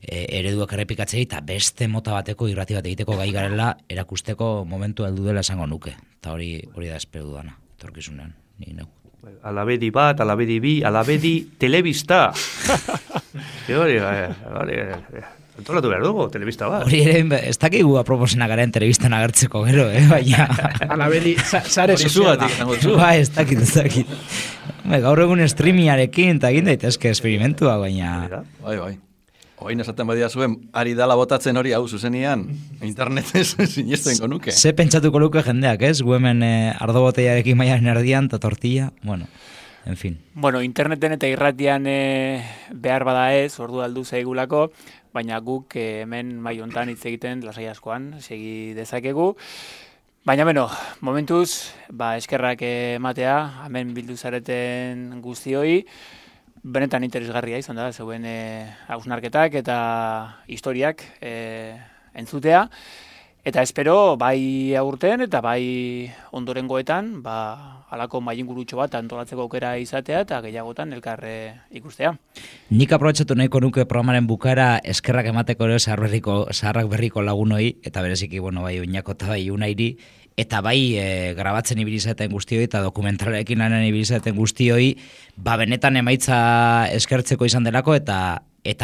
ereduak errepikatzeari, eta beste mota bateko irrati bat egiteko gai garela erakusteko momentu heldu dela esango nuke, eta hori da espero dudana, etorkizunean, ni neu. Alabedi bat, alabedi bi, alabedi telebista. Hori, antolatu behar dugu, telebista bat. Hori ere, ez dakigu aproposena garen telebistan agertzeko gero, baina... Alabedi, sare soziala. Ez dakit. Gaur egun streamingarekin, eta egin daitezke esperimentua, baina... Bai. Oin esaten badia zuen, ari dala botatzen hori hau zuzenian, internetez sinesten konuke. Ze pentsatuko luke jendeak, ez? Gu hemen ardo boteiarekin maiaren erdian, eta tortilla, en fin. Interneten eta irratian behar bada ez, ordu aldu zaigulako, baina guk hemen maiontan hitz egiten lasai askoan segi dezakegu. Baina momentuz, eskerrak ematea, hemen bildu zareten guztioi, benetan interesgarria izan da, zeuen hausnarketak eta historiak entzutea. Eta espero, bai aurten eta bai ondorengoetan, halako mailingurutxo bat antolatzeko aukera izatea eta gehiagotan elkarre ikustea. Nik aprobetxatu nahiko nuke programaren bukaera eskerrak emateko ere zaharrak berriko lagunoi, eta bereziki, bai Oinako eta bai Unairi, eta bai grabatzen ibilizaten guztioi eta dokumentalarekin lanen ibilizaten guztioi, benetan emaitza eskertzeko izan delako eta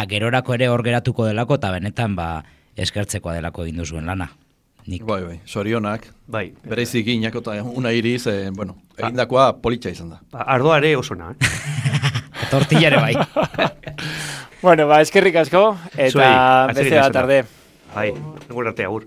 gerorako ere hor geratuko delako eta benetan eskertzekoa delako egin duzuen lana. Bai, sorionak. Bai. Bereiziki Iñako eta Unairiz, egindakoa politxa izan da. Ardoare osona, Tortillare bai. Eskerrik asko, eta beste bat tarde. Bai, egun arte agur.